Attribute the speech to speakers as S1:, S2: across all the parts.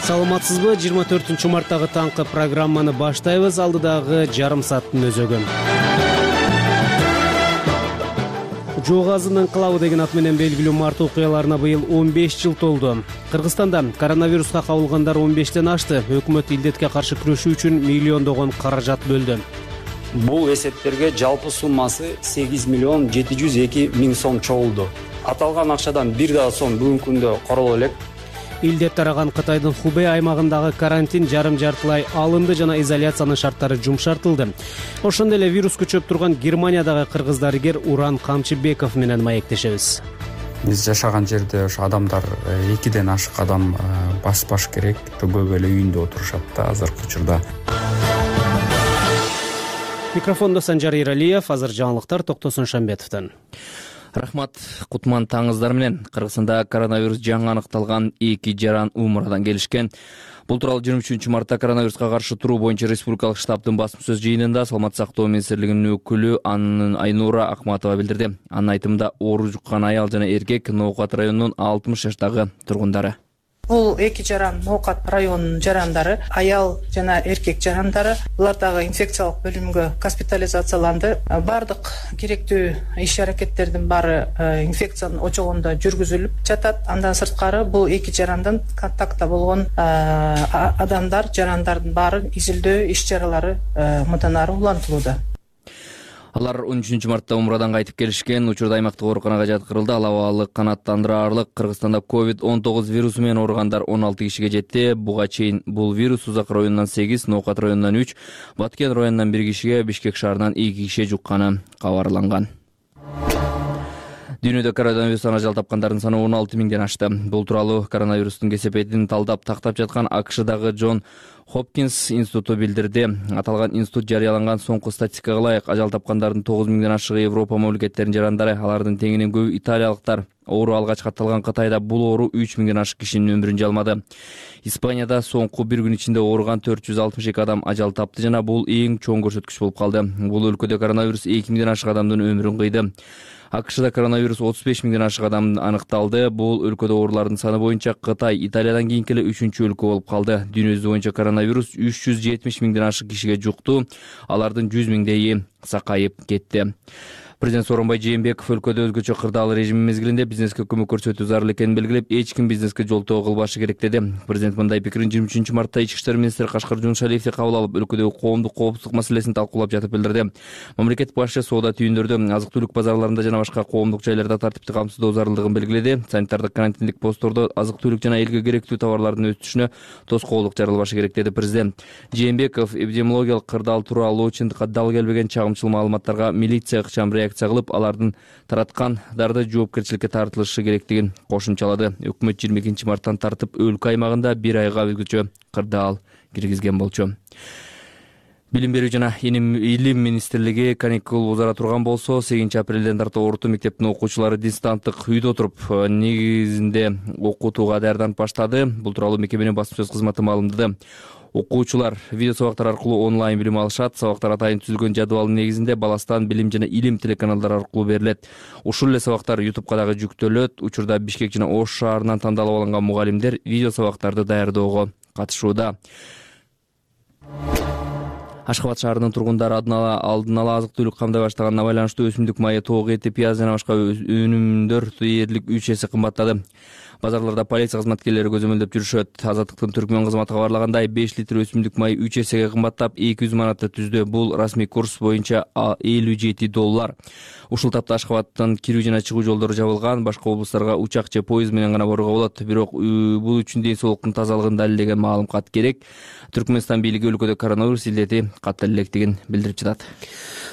S1: Саламатсызбы? 24-марттагы таңкы программаны баштайбыз. Алдыдагы жарым сааттын өзөгү. Жоо газынын инкылабы деген ат менен белгилүү март окуяларына быйыл 15 жыл толду. Кыргызстанда коронавируска кабылгандар 15тен ашты. Өкмөт илдетке каршы күрөшүү үчүн миллиондогон каражат бөлдү.
S2: Бул эсептерге жалпы суммасы 8 миллион 702 миң сом чогулду. Аталган акчадан бир да сом бүгүнкү күндө короло элек.
S1: Илдет тараган Кытайдын Хубэй аймагындагы карантин жарым-жартылай алынды жана изоляциянын шарттары жумшартылды. Ошондой эле вирус көчөп турган Германиядагы кыргыз дарыгер Уран Камчыбеков менен маектешебиз.
S3: Биз жашаган жерде ошо адамдар 2ден ашык адам баспаш керек. Көп эле үйүндө отурушат да азыркы учурда.
S1: Микрофондо Санжар Иралиев, азыр жаңылыктар Токтосун Шамбетовдон.
S4: Рахмат, кутман таңыздар менен. Кыргызстанда коронавирус жаңы аныкталган 2 жаран Умрадан келишкен. Бул тууралуу 23-мартта коронавируска каршы туруу боюнча республикалык штабтын басма сөз жыйынында Саламаттык сактоо министрлигинин өкүлү Айнура Акматова билдирди. Анын айтымында оору жуккан аял жана эркек Ноокат районунун 60 жаштагы тургундары.
S5: Бул 2 жаран Ноокат районунун жарандары, аял жана эркек жарандары. Булар дагы инфекциялык бөлүмгө госпитализацияланды. Бардык керектүү иш-аракеттердин баары инфекциянын очогунда жүргүзүлүп жатат. Андан сырткары бул 2 жарандан контактта болгон адамдар, жарандардын баары изилдөө иш-чаралары мындан ары улантылууда.
S4: Алар 13-мартта Умрадан кайтып келишкен. Учурда аймактык ооруканага жаткырылды. Ал абалык канааттандырарлык. Кыргызстанда COVID-19 вирусу менен ооругандар 16 кишиге жетти. Буга чейин бул вирус Узак районунан 8, Ноокат районунан 3, Баткен районунан 1 кишиге, Бишкек шаарынан 2 кишиге жукканы кабарланган. Дүйнөдө коронавирустан ажал тапкандардын саны 16 миңден ашты. Бул тууралуу коронавирустун кесепетин тактап жаткан АКШдагы Джон Хопкинс институту билдирди. Аталган институт жарыяланган соңку статистикага ылайык ажал тапкандардын 9 миңден ашыгы Европа мамлекеттеринин жарандары, алардын теңинен көбү италиялыктар. Оору алгач катталган Кытайда бул оору 3 миңден ашык кишинин өмүрүн жалмады. Испанияда соңку бир күн ичинде ооруган 462 адам ажал тапты жана бул эң чоң көрсөткүч болуп калды. Бул өлкөдө коронавирус 2 миңден ашык адамдын өмүрүн кыйды. АКШда коронавирус 35 миңден ашык адам аныкталды. Бул өлкөдө оорулардын саны боюнча Кытай Италиядан кийинки эле 3-өлкө болуп калды. Дүйнө жүзү боюнча коронавирус 370 миңден ашык кишиге жукту. Алардын 100 миңдейи сакайып кетти. Президент Сооронбай Жээнбеков өлкөдө өзгөчө кырдаал режим мезгилинде бизнеске көмөк көрсөтүү зарыл экенин белгилеп, эч ким бизнеске жолтоо кылбашы керек деди. Президент мындай пикирин 23-мартта Ички иштер министри Кашкар Жуншалиевди кабыл алып, өлкөдөгү коомдук коопсуздук маселесин талкуулап жатып билдирди. Мамлекет башы соода түйүндөрдө, азык-түлүк базарларында жана башка коомдук жайларда тартипти камсыздоо зарылдыгын белгиледи. Санитардык карантиндик посттордо азык-түлүк жана элге керектүү товарлардын өтүшүнө тоскоолдук жарылбашы керек деди президент. Жээнбеков эпидемиологиялык кырдаал тууралуу чындыкка дал келбеген чагымчыл маалыматтарга милиция ыкчам реакция кылып, алардын тараткандарды жоопкерчиликке тартылышы керектигин кошумчалады. Өкмөт 22-марттан тартып өлкө аймагында 1 айга өзгөчө кырдаал киргизген болчу. Билим берүү жана илим министрлиги каникул узара турган болсо, 8-апрелден тарта орто мектептин окуучулары дистанттык үйдө отуруп негизинде окутууга даярданып баштады. Бул тууралуу мекеменин басма сөз кызматы маалымдады. Окуучулар видео сабактар аркылуу онлайн билим алышат. Сабактар атайын түзүлгөн жадыбалдын негизинде Баластан билим жана илим телеканалдары аркылуу берилет. Ушул эле сабактар YouTube'га дагы жүктөлөт. Учурда Бишкек жана Ош шаарынан тандалып алынган мугалимдер видео сабактарды даярдоого катышууда. Ашхабад шаарынын тургундары алдын ала азык-түлүк камдай баштаганына байланыштуу өсүмдүк майы, тоок эти, пияз жана башка өнүмдөр дээрлик 3 эсе кымбаттады. Базарларда полиция кызматкерлери көзөмөлдөп жүрүшөт. Азаттыктын Түркмөн кызматы кабарлагандай, 5 литр өсүмдүк май 3 эсеге кымбаттап, 200 манатты түздү. Бул расмий курс боюнча $57. Ушул тапта Ашхабадтан кирүү жана чыгуу жолдору жабылган, башка облустарга учак же поезд менен гана барууга болот. Бирок бул үчүн ден соолуктун тазалыгын далилдеген маалымат керек. Түркмөнстан бийлиги өлкөдө коронавирус илдети каттала электигин билдирип жатат.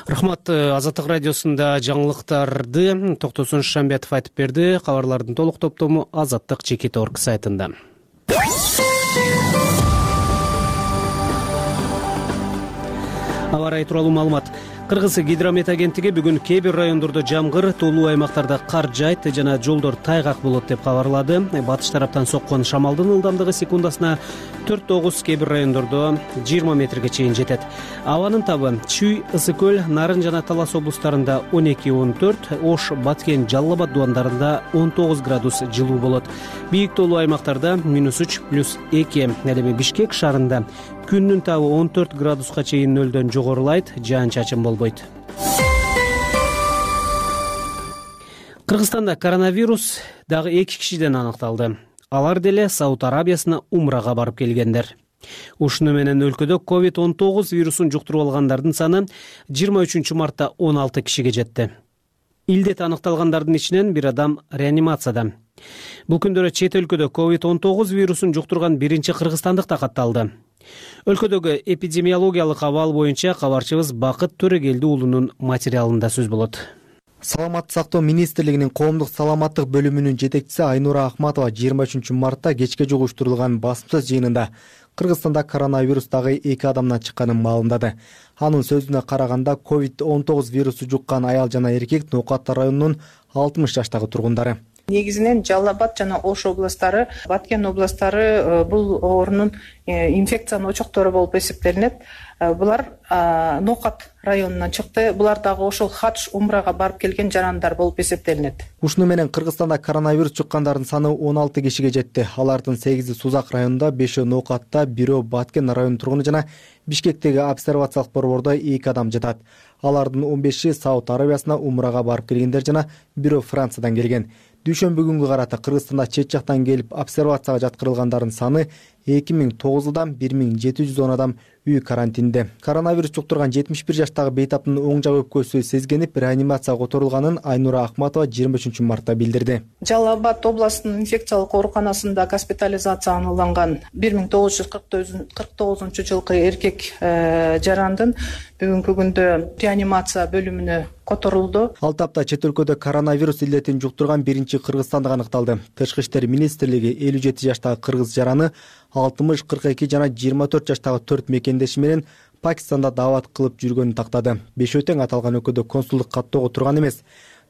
S1: Рахмат. Азаттык радиосунда жаңылыктарды Токтосун Шамбетов айтып берди. Кабарлардын толук топтому Азаттык Чекит.org сайтында. Аба ырайы тууралуу маалымат. Кыргыз гидромет агенттиги бүгүн кээ бир райондордо жамгыр, тоолуу аймактарда кар жаайт жана жолдор тайгак болот деп кабарлады. Батыш тараптан соккон шамалдын ылдамдыгы секундасына 4-9, кээ бир райондордо 20 метрге чейин жетет. Абанын табы Чүй, Ысык көл, Нарын жана Талас облустарында 12-14, Ош, Баткен, Жалал Абад дубандарында 19 градус жылуу болот. Бийик тоолуу аймактарда -3, +2. Эми Бишкек шаарында күндүн табы 14 градуска чейин нөлдөн жогорулайт, жаан-чачын болбойт. Кыргызстанда коронавирус дагы 2 кишиден аныкталды. Алар деле Сауд Арабиясына умрага барып келгендер. Ушуну менен өлкөдө COVID-19 вирусун жуктуруп алгандардын саны 23 мартта 16 кишиге жетти. Илдет аныкталгандардын ичинен бир адам реанимацияда. Бул күндөрү чет өлкөдө COVID-19 вирусун жуктурган биринчи кыргызстандык да катталды. Өлкөдөгү эпидемиологиялык абал боюнча кабарчыбыз Бакыт Төрөгелди уулунун материалында сөз болот.
S6: Саламаттык сактоо министрлигинин коомдук саламаттык бөлүмүнүн жетекчиси Айнура Акматова 23 мартта кечке жугу уюштурулган басма жыйынында Кыргызстанда коронавирус дагы 2 адамдан чыкканын маалымдады. Анын сөзүнө караганда COVID-19 вирусу жуккан аял жана эркек Ноокат районунун 60 жаштагы тургундары.
S5: Негизинен Жалал Абад жана Ош областтары, Баткен областтары бул оорунун инфекциянын очоктору болуп эсептелинет. Булар Ноокат районунан чыкты. Булар дагы ошол хадж умрага барып келген жарандар болуп эсептелинет.
S6: Ушуну менен Кыргызстанда коронавирус жуккандардын саны 16 кишиге жетти. Алардын 8-и Сузак районунда, 5-и Ноокатта, 1-өө Баткен районунун тургуну жана Бишкектеги обсервациялык борбордо 2 адам жатат. Алардын 15-и Сауд Арабиясына умрага барып келгендер жана 1-өө Франциядан келген. Дүйшөмбү күнгө карата Кыргызстанда чет жактан келип обсервацияга жаткырылгандардын саны 2009-дан 1710 адам үй карантинде. Коронавирус жуктурган 71 жаштагы бейтаптын оң жак өпкөсү сезгенип реанимацияга которулганын Айнура Акматова 23 мартта билдирди.
S5: Жалал Абад областынын инфекциялык ооруканасында госпитализацияланган 1949-жылкы эркек жарандын бүгүнкү күндө реанимация бөлүмүнө которулду.
S6: Ал тапта чет өлкөдө коронавирус илдетин жуктурган биринчи кыргызстандык аныкталды. Тышкы иштер министрлиги 57 жаштагы кыргыз жараны 60, 42 жана 24 жаштагы 4 мекендеши менен Пакистанда даават кылып жүргөнүн тактады. Бешөтең аталган өлкөдө консулдук каттоого турган эмес.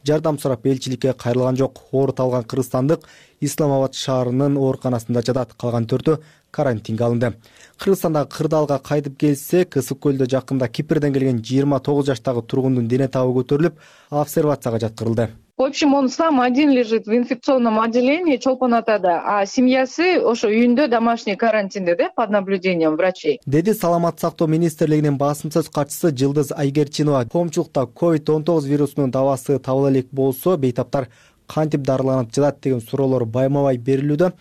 S6: Жардам сурап элчиликке кайрылган жок. Оорут алган кыргызстандык Исламабад шаарынын ооруканасында жатат. Калган 4-өө карантинге алынды. Кыргызстандагы Кырдаалга кайтып келсек, Ысык көлдө жакында Кипрден келген 29 жаштагы тургундун дене табы көтөрүлүп, обсервацияга жаткырылды.
S7: В общем, он сам один лежит в инфекционном отделении Чолпон атада, а семьясы ошо үйүндө домашний карантинде, да, под наблюдением врачей.
S6: Деди Саламаттык сактоо министрлигинин басым сөз катчысы Жылдыз Айгерчинова. Коомчулукта COVID-19 вирусунун дабасы табыла элек болсо, бейтаптар кантип дарыланып жатат деген суроолор байма-бай берилүүдө.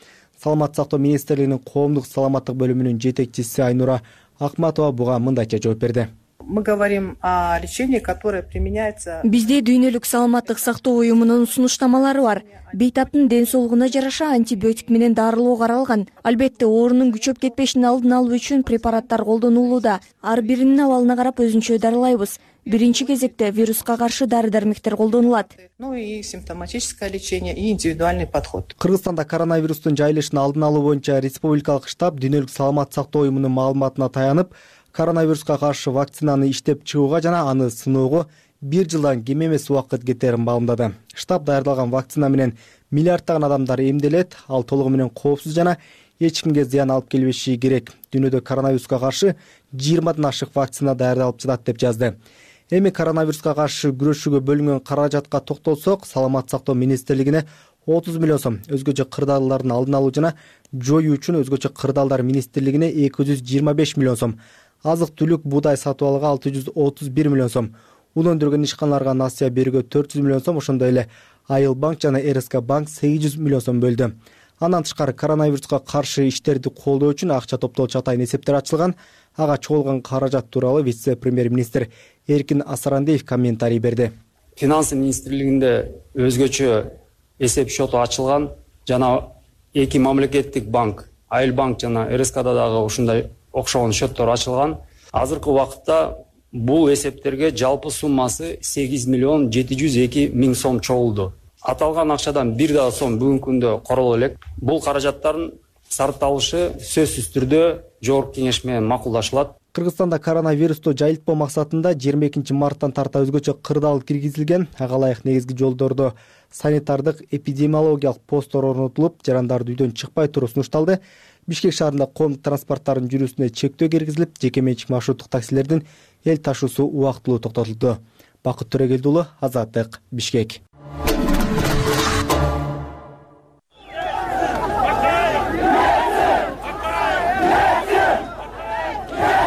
S6: Саламаттык сактоо министрлигинин коомдук саламаттык бөлүмүнүн жетекчиси Айнура Акматова буга мындайча жооп берди.
S5: Мы говорим о лечении, которое применяется.
S8: Бизде дүйнөлүк саламаттык сактоо уюмунун сунуштамалары бар. Бейтаптын ден соолугуна жараша антибиотик менен дарылоо каралган. Албетте оорунун күчөп кетпешин алдын алуу үчүн препараттар колдонулууда. Ар биринин абалына карап өзүнчө дарылайбыз. Биринчи кезекте вируска каршы дары-дармектер колдонулат.
S5: Ну и симптоматическое лечение, и индивидуальный подход.
S6: Кыргызстанда коронавирустун жайылышын алдын алуу боюнча республикалык штаб дүйнөлүк саламаттык сактоо уюмунун маалыматына таянып, коронавируска каршы вакцинаны иштеп чыгууга жана аны сыноого 1 жылдан кем эмес убакыт кетерин маалымдады. Штаб даярдалган вакцина менен миллиарддаган адамдар эмделет, ал толугу менен коопсуз жана эч кимге зыян алып келбеши керек. Дүйнөдө коронавируска каршы 20дан ашык вакцина даярдалып жатат деп жазды. Эми коронавируска каршы күрөшүүгө бөлүнгөн каражатка токтолсок, Саламаттык сактоо министрлигине 30 миллион сом, өзгөчө кырдаалдардын алдын алуу жана жоюу үчүн өзгөчө кырдаалдар министрлигине 225 миллион сом, азык-түлүк буудай сатып алууга 631 миллион сом, ун өндүргөн ишканаларга насыя берүүгө 400 миллион сом, ошондой эле Айыл банк жана РСК банк 800 миллион сом бөлдү. Андан тышкары коронавируска каршы иштерди колдоо үчүн акча топтоочу атайын эсептер ачылган. Ага чогулган каражат тууралуу вице-премьер-министр Эркин Асарандиев комментарий берди.
S2: Финансы министрлигинде өзгөчө эсеп счету ачылган жана 2 мамлекеттик банк, Айыл банк жана РСКда дагы ушундай окшогон счеттор ачылган. Азыркы убакытта бул эсептерге жалпы суммасы 8 миллион 702 миң сом чогулду. Аталган акчадан 1 да сом бүгүнкү күндө короло элек. Бул каражаттардын сарпталышы сөзсүз түрдө жогорку кеңеш менен макулдашылат.
S6: Кыргызстанда коронавирусту жайылтпоо максатында 22 марттан тарта өзгөчө кырдаал киргизилген. Ага ылайык негизги жолдордо санитардык эпидемиологиялык посттор орнотулуп, жарандарды үйдөн чыкпай туруу сунушталды. Бишкек шаарында коомдук транспорттардын жүрүүсүнө чектөө киргизилип, жеке менчик маршруттук таксилердин эл ташуусу убактылуу токтотулду. Бакыт Төрөгелди уулу, Азаттык, Бишкек.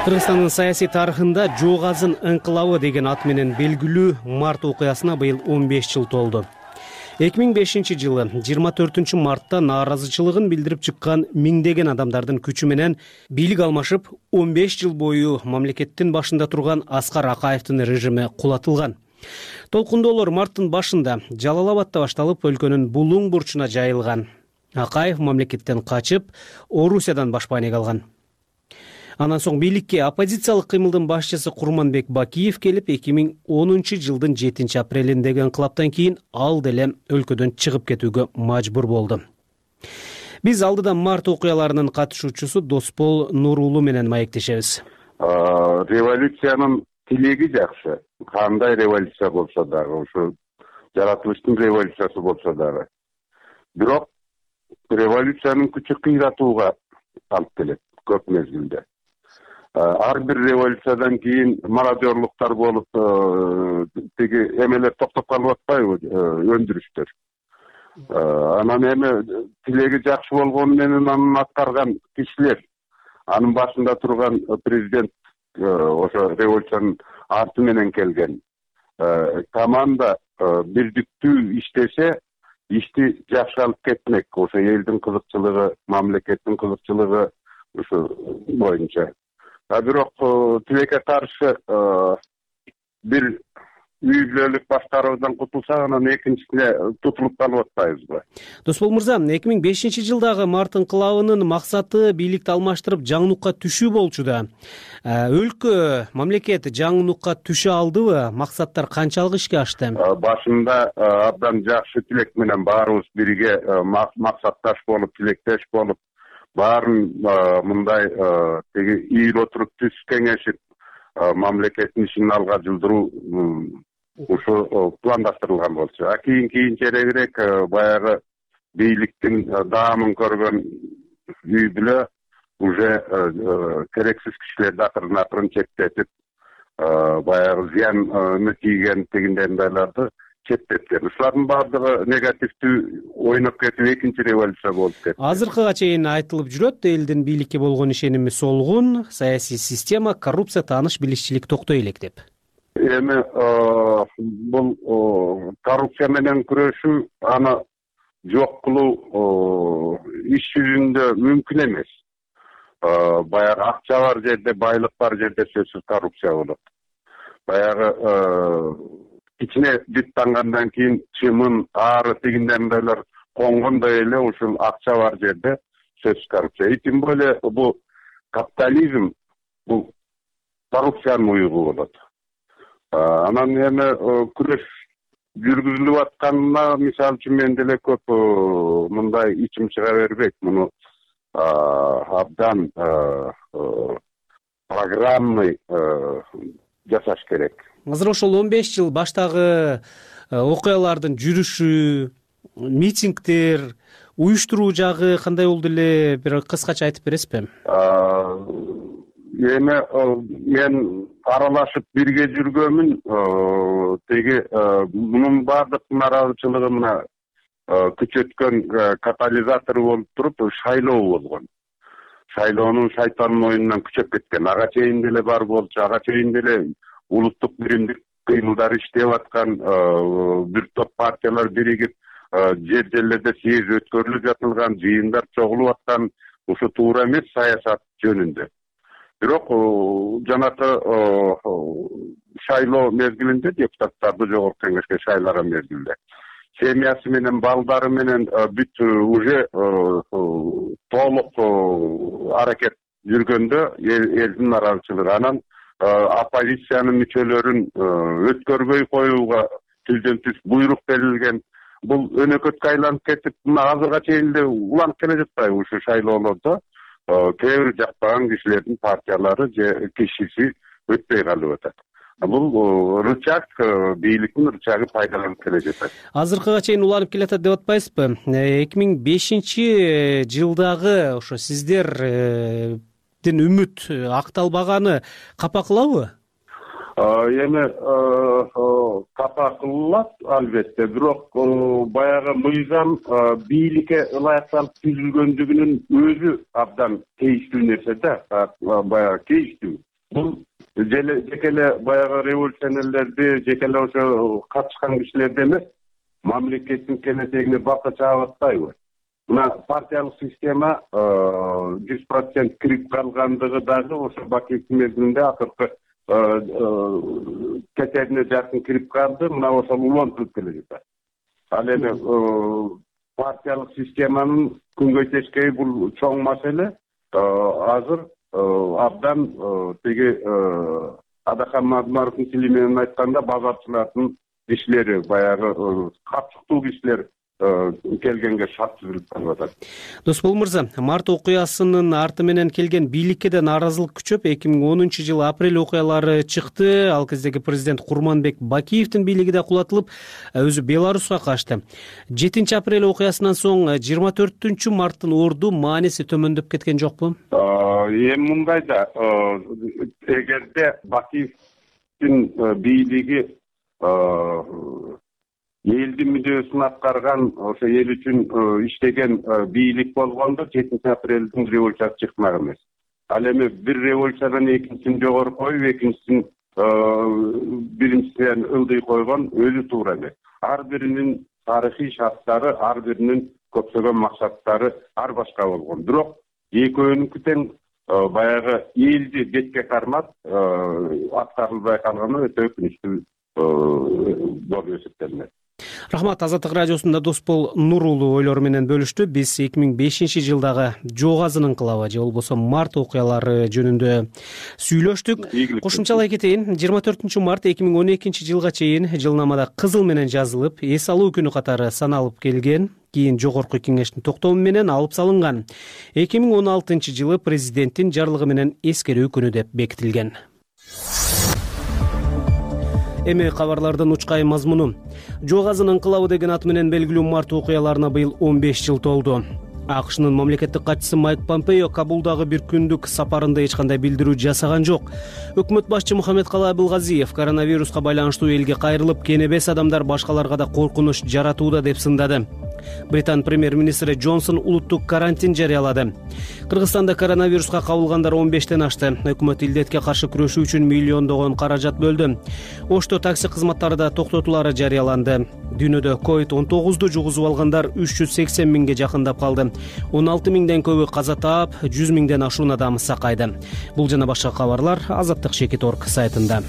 S1: Кыргызстандын саясий тарыхында Жоогазын ыңкылабы деген ат менен белгилүү март окуясына быйыл 15 жыл толду. 2005 жылы 24 мартта нааразычылыгын билдирип чыккан миңдеген адамдардын күчү менен бийлик алмашып, 15 жыл бою мамлекеттин башында турган Аскар Акаевдин режими кулатылган. Толкундоолор марттын башында Жалал Абадта башталып, өлкөнүн булуң бурчуна жайылган. Акаев мамлекеттен качып, Орусиядан башпаанек алган. Андан соң бийликке оппозициялык кыймылдын башчысы Курманбек Бакиев келип, 2010 жылдын 7 апрелиндеги ыңкылаптан кийин ал деле өлкөдөн чыгып кетүүгө мажбур болду. Биз алдыдан март окуяларынын катышуучусу Доспол Нурулу менен маектешебиз.
S9: Революциянын тилеги жакшы. Кандай революция болсо дагы, ушу жаратылыштын революциясы болсо дагы. Бирок революциянын күчү кыйратууга алып келет көп мезгилде. Ар бир революциядан кийин мародерлуктар болуп, тиги эмелер токтоп калып атпайбы, өндүрүштөр. Анан эми тилеги жакшы болгону менен анын аткарган кишилер, анын башында турган президент, ошо революциянын арты менен келген команда бирдиктүү иштесе, ишти жакшы алып кетмек. Ошо элдин кызыкчылыгы, мамлекеттин кызыкчылыгы ушу боюнча. Бирок тилекке каршы бир үй бүлөлүк башкаруудан кутулсак, анан экинчисине тутулуп калып атпайбызбы?
S1: Доспол мырза, 2005 жылдагы март ыңкылабынын максаты бийликти алмаштырып жаңылыкка түшүү болчу да. Өлкө, мамлекет жаңылыкка түшө алдыбы? Максаттар канчалык ишке ашты?
S9: Башында абдан жакшы тилек менен баарыбыз бирге максатташ болуп, тилектеш болуп, баарын мындай теги ийил отуруп түз кеңешип, мамлекеттин ишин алга жылдыруу ушу пландаштырылган болчу. Кийинчерээк баягы бийликтин даамын көргөн үй бүлө уже керексиз кишилерди акырын чектетип, баягы зыяны тийген тегиндейларды четтеткен. Ушулардын баардыгы негативдүү ойноп кетип, экинчи революция болуп кетти.
S1: Азыркыга чейин айтылып жүрөт, элдин бийликке болгон ишеними солгун, саясий система, коррупция, тааныш билишчилик токтой элек деп.
S9: Эми бул коррупция менен күрөшүү, аны жок кылуу иш жүзүндө мүмкүн эмес. Баягы акча бар жерде, байлык бар жерде сөзсүз коррупция болот. Баягы ичине бүт тангандан кийин чымын, ары тигиндейлер конгондой эле ушул акча бар жерде сөзсүз коррупция. Тем более бул капитализм, бул коррупциянын уюгу болот. Анан эми күрөш жүргүзүлүп атканына, мисалы үчүн, мен деле көп мындай ичим чыга бербейт. Муну абдан программный жасаш керек.
S1: Азыр ошол 15 жыл баштагы окуялардын жүрүшү, митингдер, уюштуруу жагы кандай болду эле, бир кыскача айтып бересизби?
S9: Эми мен аралашып бирге жүргөнмүн. Теги мунун баардык нааразычылыгы мына күчөткөн катализатору болуп туруп, шайлоо болгон. Шайлоонун шайтандын оюнунан күчөп кеткен. Ага чейин деле бар болчу, ага чейин деле улуттук биримдик кыймылдар иштеп аткан, бир топ партиялар биригип, жерлерде съезд өткөрүлүп жатылган, жыйындар чогулуп аткан. Ушу туура эмес саясат жөнүндө. Бирок жанакы шайлоо мезгилинде, депутаттарды жогорку кеңешке шайлаган мезгилде, семьясы менен, балдары менен бүт уже толук аракет жүргөндө элдин нааразычылыгы, анан оппозициянын мүчөлөрүн өткөрбөй коюуга түздөн түз буйрук берилген. Бул өнөкөткө айланып кетип, мына азырга чейин эле уланып келе жатпайбы ушу шайлоолордо? кээ бир жакпаган кишилердин партиялары же кишиси өтпөй калып атат. Бул рычаг, бийликтин рычагы пайдаланып келе жатат.
S1: Азыркыга чейин уланып келатат деп атпайсызбы? 2005-жылдагы ошо сиздердин үмүт акталбаганы капа кылабы?
S9: Эми капа кылат албетте, бирок баягы мыйзам бийликке ылайыкталып түзүлгөндүгүнүн өзү абдан тийиштүү нерсе да, баягы тийиштүү. Бул жеке эле баягы революционерлерди, жеке эле ошо катышкан кишилерди эмес, мамлекеттин келечегине балка чаап атпайбы? Мына партиялык система 100% кирип калгандыгы дагы ошо Бакиевдин мезгилинде акыркы кетерине жакын кирип калды, мына ошол улантылып келе жатат. Ал эми партиялык системанын күнгөй тескеи бул чоң маселе. Азыр абдан тиги Адахан Мадмаровдун тили менен айтканда базарчылардын кишилери, баягы капчыктуу кишилер келгенге шарт түзүлүп калып атат.
S1: Досбол мырза, март окуясынын арты менен келген бийликке да нааразылык күчөп, 2010-жылы апрель окуялары чыкты. Ал кездеги президент Курманбек Бакиевдин бийлиги да кулатылып, өзү Беларуска качты. 7 апрель окуясынан соң 24 марттын орду мааниси төмөндөп кеткен жокпу?
S9: Эми мындай да, эгерде Бакиевдин бийлиги элдин мүдөөсүн аткарган, ошо эл үчүн иштеген бийлик болгондо 7 апрелдин революциясы чыкмак эмес. Ал эми бир революциядан экинчисин жогору коюп, экинчисин биринчисинен ылдый койгон өзү туура эмес. Ар биринин тарыхый шарттары, ар биринин көптөгөн максаттары ар башка болгон. Бирок экөөнүнкү тең баягы элди бетке кармап аткарылбай калганы өтө өкүнүчтүү болуп эсептелинет.
S1: Рахмат. Азаттык радиосунда Досбол Нурулу ойлору менен бөлүштү. Биз 2005-жылдагы Жоогазын инкылабы же болбосо март окуялары жөнүндө сүйлөштүк. Кошумчалай кетейин. 24 март 2012-жылга чейин жылнамада кызыл менен жазылып, эс алуу күнү катары саналып келген. Кийин жогорку кеңештин токтому менен алып салынган. 2016-жылы президенттин жарлыгы менен эскерүү күнү деп бекитилген. Эми кабарлардын учкай мазмуну. Жоогазын инкылабы деген аты менен белгилүү март окуяларына быйыл 15 жыл толду. АКШнын мамлекеттик катчысы Майк Помпео Кабулдагы бир күндүк сапарында эч кандай билдирүү жасаган жок. Өкмөт башчы Мухаммедкалый Абылгазиев коронавируска байланыштуу элге кайрылып, кенебес адамдар башкаларга да коркунуч жаратууда деп сындады. Британ премьер-министри Джонсон улуттук карантин жарыялады. Кыргызстанда коронавируска кабылгандар 15тен ашты. Өкмөт илдетке каршы күрөшүү үчүн миллиондогон каражат бөлдү. Ошто такси кызматтары да токтотулары жарыяланды. Дүйнөдө COVID-19 жугузуп алгандар 380 миңге жакындап калды. 16 миңден көбү каза таап, 100 миңден ашуун адам сакайды. Бул жана башка кабарлар Азаттык.org сайтында.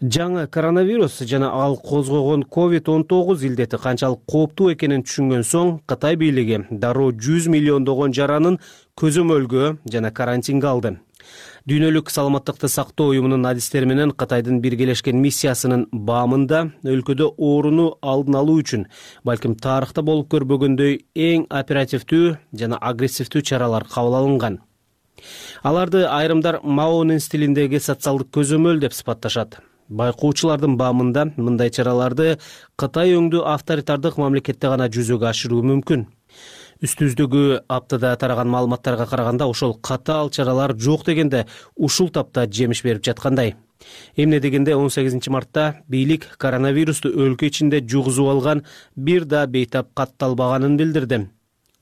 S1: Жаңы коронавирус жана ал козгогон COVID-19 илдети канчалык кооптуу экенин түшүнгөн соң, Кытай бийлиги дароо 100 миллиондогон жаранын көзөмөлгө жана карантинге алды. Дүйнөлүк саламаттыкты сактоо уюмунун адистери менен Кытайдын биргелешкен миссиясынын баамында өлкөдө ооруну алдын алуу үчүн, балким тарыхта болуп көрбөгөндөй эң оперативдүү жана агрессивдүү чаралар кабыл алынган. Аларды айрымдар Маонун стилиндеги социалдык көзөмөл деп сыпатташат. Байкоочулардын баамында мындай чараларды Кытай өңдүү авторитардык мамлекетте гана жүзөгө ашыруу мүмкүн. Үстүбүздөгү аптада тараган маалыматтарга караганда ошол катаал чаралар жок дегенде ушул тапта жемиш берип жаткандай. Эмне дегенде 18 мартта бийлик коронавирусту өлкө ичинде жугузуп алган бир да бейтап катталбаганын билдирди.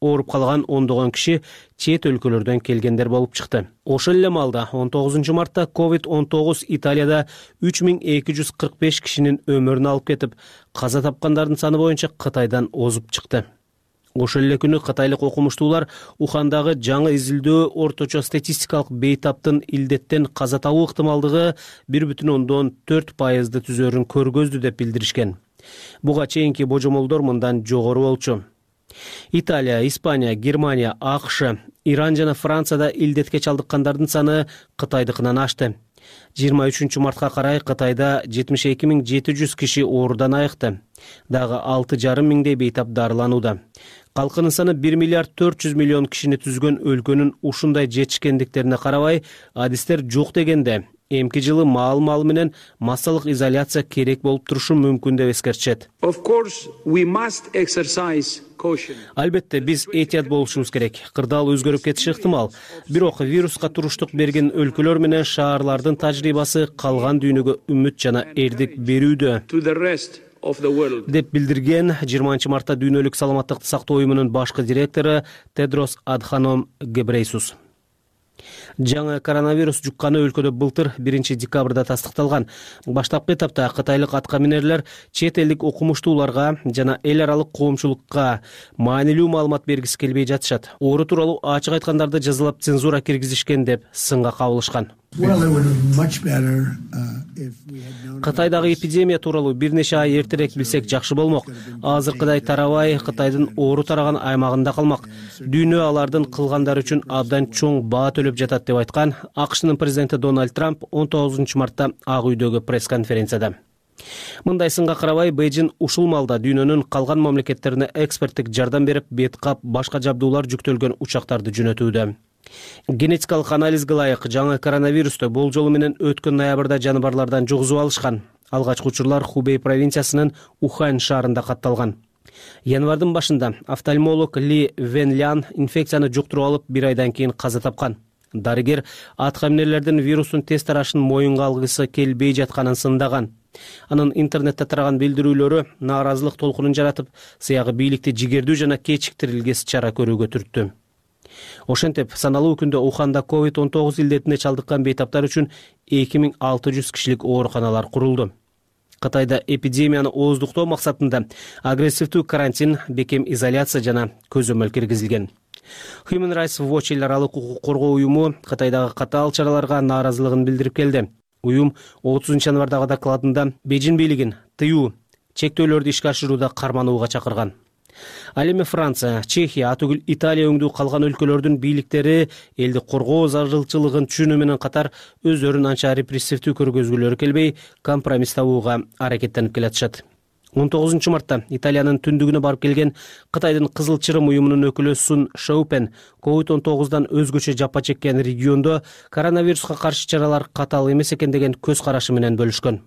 S1: Ооруп калган ондогон киши чет өлкөлөрдөн келгендер болуп чыкты. Ошол эле маалда 19 мартта COVID-19 Италияда 3245 кишинин өмүрүн алып кетип, каза тапкандардын саны боюнча Кытайдан озуп чыкты. Ошол эле күнү кытайлык окумуштуулар Ухандагы жаңы изилдөө орточо статистикалык бейтаптын илдеттен каза табуу ыктымалдыгы 1,4% түзөрүн көргөздү деп билдиришкен. Буга чейинки божомолдор мындан жогору болчу. Италия, Испания, Германия, АКШ, Иран жана Францияда илдетке чалдыккандардын саны Кытайдыкынан ашты. 23 мартка карай Кытайда 72.700 киши оорудан айыкты. Дагы 6,5 миңдей бейтап дарыланууда. Калкынын саны 1 миллиард 400 миллион кишини түзгөн өлкөнүн ушундай жетишкендиктерине карабай, адистер жок дегенде, эмки жылы маал менен массалык изоляция керек болуп турушу мүмкүн деп эскертишет. Албетте, биз этият болушубуз керек. Кырдаал өзгөрүп кетиши ыктымал. Бирок вируска туруштук берген өлкөлөр менен шаарлардын тажрыйбасы калган дүйнөгө үмүт жана эрдик берүүдө деп билдирген 20 мартта Дүйнөлүк саламаттыкты сактоо уюмунун башкы директору Тедрос Адханом Гебрейсус. Жаңы коронавирус жукканы өлкөдө былтыр 1 декабрда тастыкталган. Баштапкы этапта кытайлык аткаминерлер чет элдик окумуштууларга жана эл аралык коомчулукка маанилүү маалымат бергиси келбей жатышат. Оору тууралуу ачык айткандарды жазалап цензура киргизишкен деп сынга кабылышкан. Кытайдагы эпидемия тууралуу бир нече ай эртерээк билсек жакшы болмок. Азыркыдай тарабай Кытайдын оору тараган аймагында калмак. Дүйнө алардын кылгандары үчүн абдан чоң баа төлөп жатат деп айткан АКШнын президенти Дональд Трамп 19 мартта Ак үйдөгү пресс-конференцияда. Мындай сынга карабай, Бейжин ушул малда дүйнөнүн калган мамлекеттерине эксперттик жардам берип, бет кап, башка жабдуулар жүктөлгөн учактарды жөнөтүүдө. Генетикалык анализге ылайык жаңы коронавирусту болжолу менен өткөн ноябрда жаныбарлардан жугузуп алышкан. Алгачкы учурлар Хубей провинциясынын Ухань шаарында катталган. Январдын башында офтальмолог Ли Венлян инфекцияны жуктуруп алып 1 айдан кийин каза тапкан. Дарыгер аткаминерлердин вирустун тест тарашын моюнга алгысы келбей жатканын сындаган. Анын интернетте тараган билдирүүлөрү нааразылык толкунун жаратып, сыягы бийликти жигердүү жана кечиктирилгес чара көрүүгө түрттү. Ошентип, саналуу күндө Уханда COVID-19 илдетине чалдыккан бейтаптар үчүн 2600 кишилик ооруканалар курулду. Кытайда эпидемияны ооздуктоо максатында агрессивдүү карантин, бекем изоляция жана көзөмөл киргизилген. Human Rights Watch эл аралык укук коргоо уюму Кытайдагы катаал чараларга нааразылыгын билдирип келди. Уюм 30 январдагы докладында Бейжин бийлигин тыюу, чектөөлөрдү ишке ашырууда карманууга чакырган. Ал эми Франция, Чехия, атүгүл Италия өңдүү калган өлкөлөрдүн бийликтери элди коргоо зарылчылыгын түшүнүү менен катар өздөрүн анча репрессивдүү көргөзгүлөрү келбей, компромисс табууга аракеттенип келатышат. 19 мартта Италиянын түндүгүнө барып келген Кытайдын Кызыл Чырым уюмунун өкүлү Сун Шоупен COVID-19 өзгөчө жапа чеккен региондо коронавируска каршы чаралар катаал эмес экен деген көз карашы менен бөлүшкөн.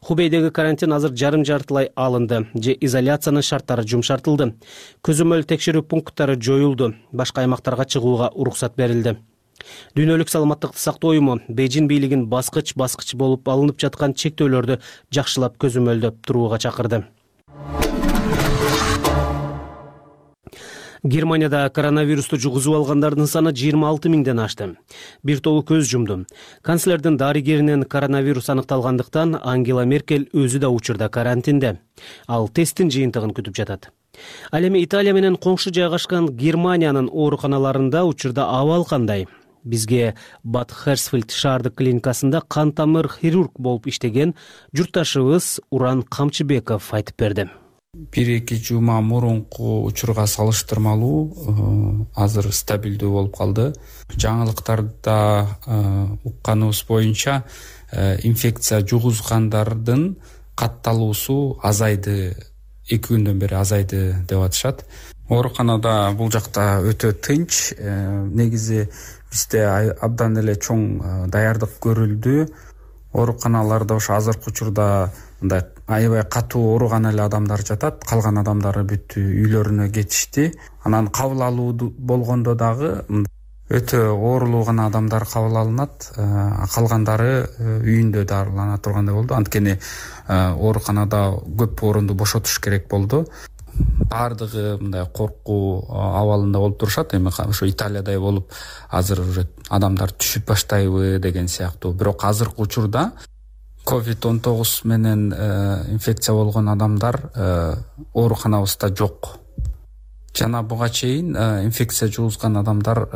S1: Хубейдеги карантин азыр жарым-жартылай алынды, же изоляциянын шарттары жумшартылды. Көзөмөл текшерүү пункттары жоюлду, башка аймактарга чыгууга уруксат берилди. Дүйнөлүк саламаттыкты сактоо уюму Бейжин бийлигин баскыч болуп алынып жаткан чектөөлөрдү жакшылап көзөмөлдөп турууга чакырды. Германияда коронавирусту жугузуп алгандардын саны 26 миңден ашты. Бир тобу көз жумду. Канцлердин дарыгеринен коронавирус аныкталгандыктан Ангела Меркель өзү да учурда карантинде. Ал тесттин жыйынтыгын күтүп жатат. Ал эми Италия менен коңшу жайгашкан Германиянын ооруканаларында учурда абал кандай? Бизге Бад Херсфельд шаардык клиникасында кан тамыр хирург болуп иштеген журтташыбыз Уран Камчыбеков айтып берди.
S3: 1-2 жума мурунку учурга салыштырмалуу азыр стабилдүү болуп калды. Жаңылыктарда укканыбыз боюнча инфекция жугузгандардын катталуусу азайды, 2 күндөн бери азайды деп атышат. Ооруканада бул жакта өтө тынч, негизи бизде абдан эле чоң даярдык көрүлдү. Ооруканаларда ошо азыркы учурда мындай аябай катуу ооруган эле адамдар жатат, калган адамдары бүт үйлөрүнө кетишти. Анан кабыл алуу болгондо дагы өтө оорулуу гана адамдар кабыл алынат, калгандары үйүндө дарылана тургандай болду. Анткени ооруканада көп орунду бошотуш керек болду. Бардыгы мындай коркуу абалында болуп турушат. Эми ошо Италиядай болуп азыр уже адамдар түшүп баштайбы деген сыяктуу. Бирок азыркы учурда COVID-19 менен инфекция болгон адамдар ооруканабызда жок. Жана буга чейин инфекция жугузган адамдар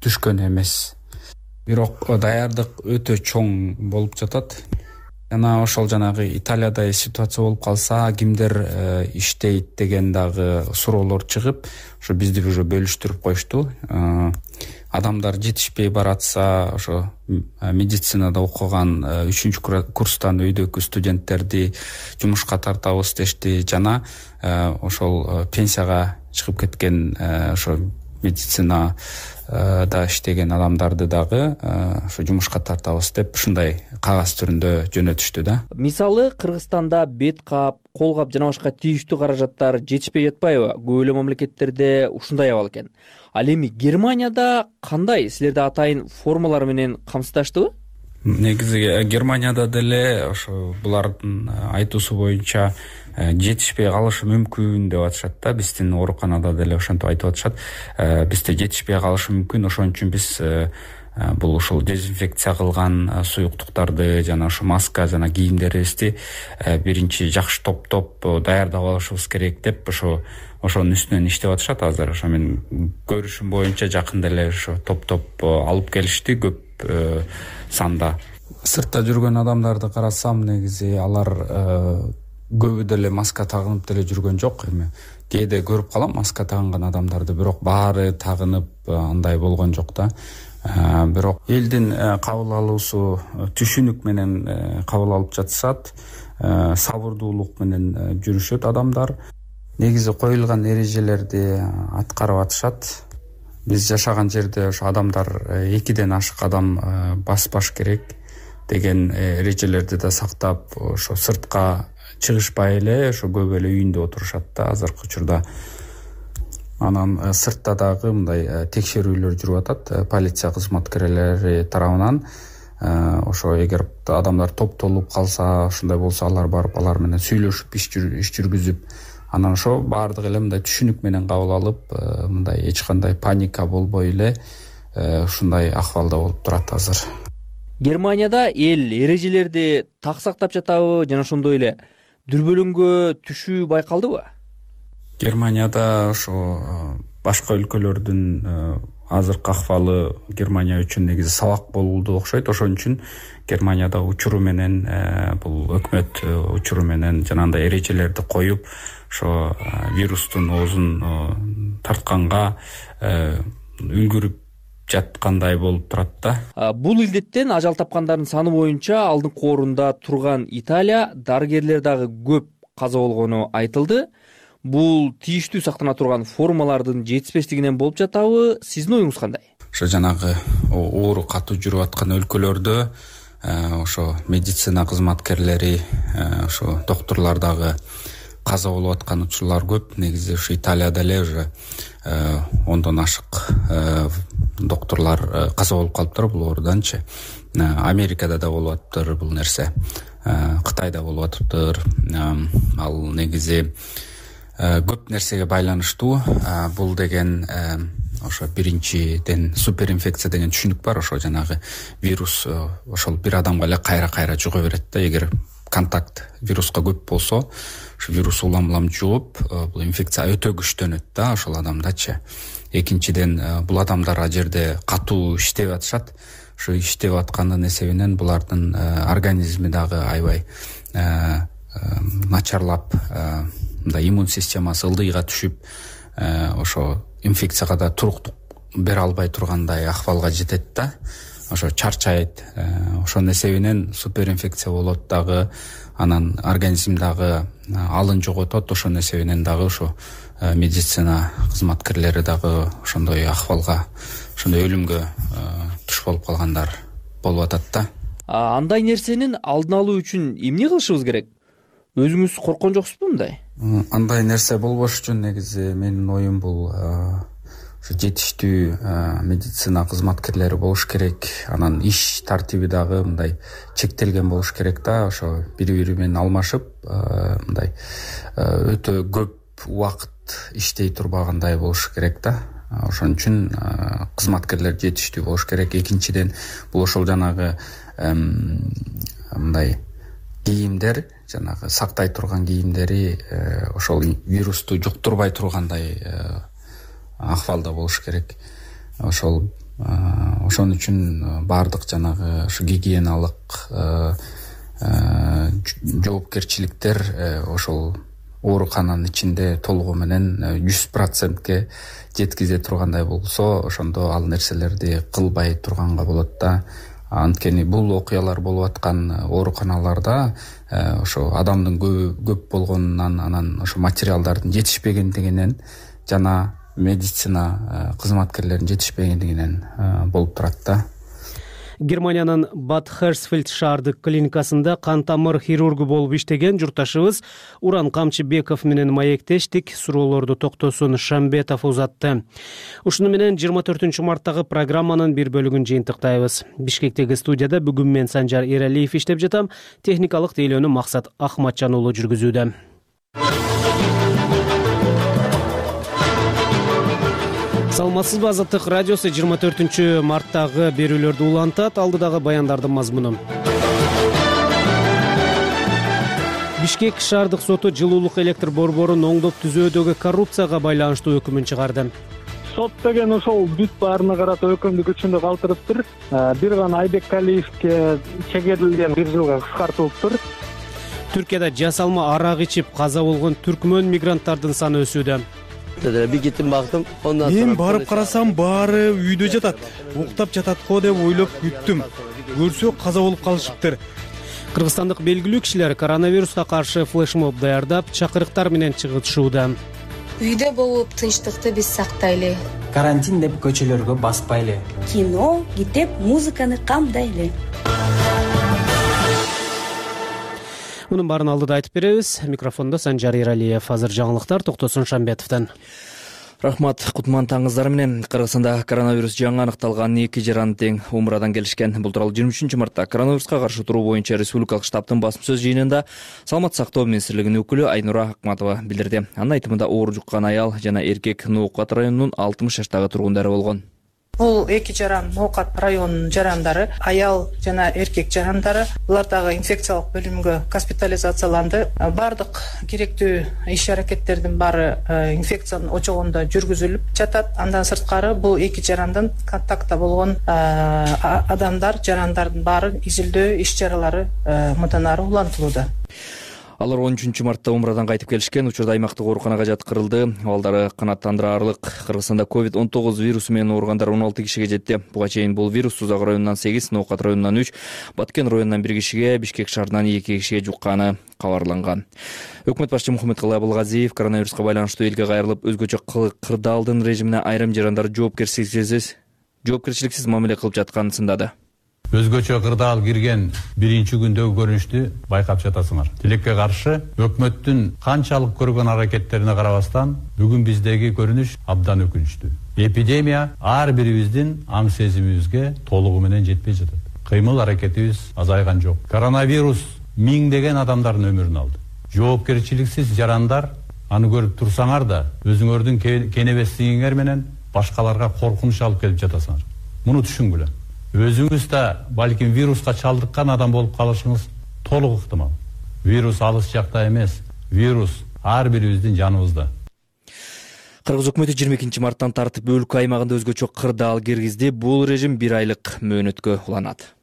S3: түшкөн эмес. Бирок даярдык өтө чоң болуп жатат. жана ошол жанагы Италиядай ситуация болуп калса кимдер иштейт деген дагы суроолор чыгып, ошо бизди уже бөлүштүрүп коюшту. Адамдар жетишпей баратса, ошо медицинада окуган 3-курстан өйдөкү студенттерди жумушка тартабыз дешти, жана ошол пенсияга чыгып кеткен ошо медицинада иштеген адамдарды дагы ошо жумушка тартабыз деп ушундай кагаз түрүндө жөнөтүштү да.
S4: Мисалы, Кыргызстанда бет кап, кол кап жана башка тийиштүү каражаттар жетишпей жатпайбы? Көп эле мамлекеттерде ушундай абал экен. Ал эми Германияда кандай? Силерде атайын формалар менен камсыздаштыбы?
S3: Негизи Германияда деле ошо булардын айтуусу боюнча жетишпей калышы мүмкүн деп атышат да. Биздин ооруканада деле ошентип айтып атышат. Бизде жетишпей калышы мүмкүн, ошон үчүн биз бул ушул дезинфекция кылган суюктуктарды жана ошо маска жана кийимдерибизди биринчи жакшы топтоп даярдап алышыбыз керек деп ошонун үстүнөн иштеп атышат азыр. Ошо мен көрүшүм боюнча жакында эле ошо топтоп алып келишти көп санда. Сыртта жүргөн адамдарды карасам, негизи алар көбү деле маска тагынып деле жүргөн жок. Эми кээде көрүп калам маска тагынган адамдарды, бирок баары тагынып андай болгон жок да. Бирок элдин кабыл алуусу түшүнүк менен кабыл алып жатышат, сабырдуулук менен жүрүшөт адамдар. Негизи коюлган эрежелерди аткарып атышат. Биз жашаган жерде ошо адамдар 2ден ашык адам баспаш керек деген эрежелерди да сактап, ошо сыртка чыгышпай эле ошо көп эле үйүндө отурушат да азыркы учурда. Анан сыртта дагы мындай текшерүүлөр жүрүп атат полиция кызматкерлери тарабынан. Ошо эгер адамдар топтолуп калса, ушундай болсо алар барып алар менен сүйлөшүп иш жүргүзүп, анан ошо баардык эле мындай түшүнүк менен кабыл алып, мындай эч кандай паника болбой эле ушундай акыбалда болуп турат азыр.
S4: Германияда эл эрежелерди так сактап жатабы жана ошондой эле дүрбөлөңгө түшүү байкалдыбы?
S3: Германияда ошо башка өлкөлөрдүн азыркы акыбалы Германия үчүн негизи сабак болду окшойт. Ошон үчүн Германияда учуру менен бул өкмөт учуру менен жанагындай эрежелерди коюп, ошо вирустун оозун тартканга үлгүрүп жаткандай болуп турат да.
S4: Бул илдеттен ажал тапкандардын саны боюнча алдыңкы орунда турган Италия, дарыгерлер дагы көп каза болгону айтылды. Бул тийиштүү сактана турган формалардын жетишпештигинен болуп жатабы? Сиздин оюңуз кандай?
S3: Ошо жанагы оору катуу жүрүп аткан өлкөлөрдө ошо медицина кызматкерлери, ошо доктурлар дагы каза болуп аткан учурлар көп. Негизи ошо Италияда эле уже 10дон ашык доктурлар каза болуп калыптыр бул ооруданчы. Америкада да болуп атыптыр бул нерсе, Кытайда болуп атыптыр. Ал негизи көп нерсеге байланыштуу. Бул деген ошо биринчиден суперинфекция деген түшүнүк бар. Ошо жанагы вирус ошол бир адамга эле кайра жуга берет да. Эгер контакт вируска көп болсо, ошо вирус улам жугуп, бул инфекция өтө күчтөнөт да ошол адамдачы. Экинчиден бул адамдар а жерде катуу иштеп атышат. Ошо иштеп аткандын эсебинен булардын организми дагы аябай начарлап, мындай иммун системасы ылдыйга түшүп, ошо инфекцияга да туруктук бере албай тургандай акыбалга жетет да. Ошо чарчайт. Ошонун эсебинен суперинфекция болот дагы, анан организм дагы алын жоготот. Ошонун эсебинен дагы ошо медицина кызматкерлери дагы ошондой акыбалга, ошондой өлүмгө туш болуп калгандар болуп атат да.
S4: Андай нерсенин алдын алуу үчүн эмне кылышыбыз керек? Өзүңүз корккон жоксузбу мындай?
S3: Андай нерсе болбош үчүн негизи менин оюм бул жетиштүү медицина кызматкерлери болуш керек. Анан иш тартиби дагы мындай чектелген болуш керек да. Ошо бири менен алмашып, мындай өтө көп убакыт иштей турбагандай болуш керек да. Ошон үчүн кызматкерлер жетиштүү болуш керек. Экинчиден бул ошол жанагы мындай кийимдер, жанагы сактай турган кийимдери ошол вирусту жуктурбай тургандай акыбалда болуш керек. Ошол ошон үчүн баардык жанагы ушу гигиеналык жоопкерчиликтер ошол оорукананын ичинде толугу менен 100%ке жеткизе тургандай болсо, ошондо ал нерселерди кылбай турганга болот да. Анткени бул окуялар болуп аткан ооруканаларда ошо адамдын көп болгонунан, анан ошо материалдардын жетишпегендигинен жана медицина кызматкерлеринин жетишпегендигинен болуп турат да.
S1: Германиянын Бад Херсфельд шаардык клиникасында кан тамыр хирургу болуп иштеген журтташыбыз Уран Камчыбеков менен маектештик. Суроолорду Токтосун Шамбетов узатты. Ушуну менен 24 марттагы программанын бир бөлүгүн жыйынтыктайбыз. Бишкектеги студияда бүгүн мен Санжар Эралиев иштеп жатам. Техникалык тейлөөнү Максат Ахматжан уулу жүргүзүүдө. Саламатсызбы, Азаттык радиосу 24 марттагы берүүлөрдү улантат. Алдыдагы баяндардын мазмуну. Бишкек шаардык соту жылуулук электр борборун оңдоп түзөөдөгү коррупцияга байланыштуу өкүмүн чыгарды.
S10: Сот деген ошол бүт баарына карата өкүмдү күчүндө калтырыптыр. Бир гана Айбек Калиевге чегерилген 1 жылга кыскартылыптыр.
S1: Түркияда жасалма арак ичип каза болгон түркмөн мигранттардын саны өсүүдө.
S11: Bir gittim baktım. Ondan
S12: Мен барып карасам баары үйдө жатат. Уктап жатат го деп ойлоп күттүм. Көрсө каза болуп калышыптыр.
S1: Кыргызстандык белгилүү кишилер коронавируска каршы флешмоб даярдап, чакырыктар менен чыгышууда.
S13: Үйдө болуп тынчтыкты биз сактайлы.
S14: Карантин деп көчөлөргө баспайлы.
S13: Кино, китеп, музыканы камдайлы.
S1: Мунун баарын алдыда айтып беребиз. Микрофондо Санжар Эралиев. Азыр жаңылыктар Токтосун Шамбетовдон.
S4: Рахмат, кутман таңыңыздар менен. Кыргызстанда коронавирус жаңы аныкталган 2 жаран тең умрадан келишкен. Бул тууралуу 23 мартта коронавируска каршы туруу боюнча республикалык штабтын басма сөз жыйынында Саламат сактоо министрлигинин өкүлү Айнура Акматова билдирди. Анын айтымында оор жуккан аял жана эркек Ноокат районунун 60 жаштагы тургундары болгон.
S5: Бул 2 жаран Ноокат районунун жарандары, аял жана эркек жарандары. Булар дагы инфекциялык бөлүмгө госпитализацияланды. Бардык керектүү иш-аракеттердин баары инфекциянын очогунда жүргүзүлүп жатат. Андан сырткары бул 2 жарандан контактта болгон адамдар, жарандардын баары изилдөө иш-чаралары мындан ары улантылууда.
S4: Алар 13 мартта умрадан кайтып келишкен. Учурда аймактык ооруканага жаткырылды. Абалдары канааттандыраарлык. Кыргызстанда COVID-19 вирусу менен ооругандар 16 кишиге жетти. Буга чейин бул вирус Сузак районунан 8, Ноокат районунан 3, Баткен районунан 1 кишиге, Бишкек шаарынан 2 кишиге жукканы кабарланган. Өкмөт башчы Мухаммедкалый Абылгазиев коронавируска байланыштуу элге кайрылып, өзгөчө кырдаалдын режимине айрым жарандар жоопкерчиликсиз мамиле кылып жатканын сындады.
S15: Өзгөчө кырдаал кирген биринчи күндөгү көрүнүштү байкап жатасыңар. Тилекке каршы өкмөттүн канчалык көргөн аракеттерине карабастан бүгүн биздеги көрүнүш абдан өкүнүчтүү. Эпидемия ар бирибиздин аң сезимибизге толугу менен жетпей жатат. Кыймыл аракетибиз азайган жок. Коронавирус миңдеген адамдардын өмүрүн алды. Жоопкерчиликсиз жарандар аны көрүп турсаңар да өзүңөрдүн кенебестигиңер менен башкаларга коркунуч алып келип жатасыңар. Муну түшүнгүлө. Өзүңүз да балким вируска чалдыккан адам болуп калышыңыз толук ыктымал. Вирус алыс жакта эмес, вирус ар бирибиздин жаныбызда.
S4: Кыргыз өкмөтү 22 марттан тартып өлкө аймагында өзгөчө кырдаал киргизди. Бул режим 1 айлык мөөнөткө уланат.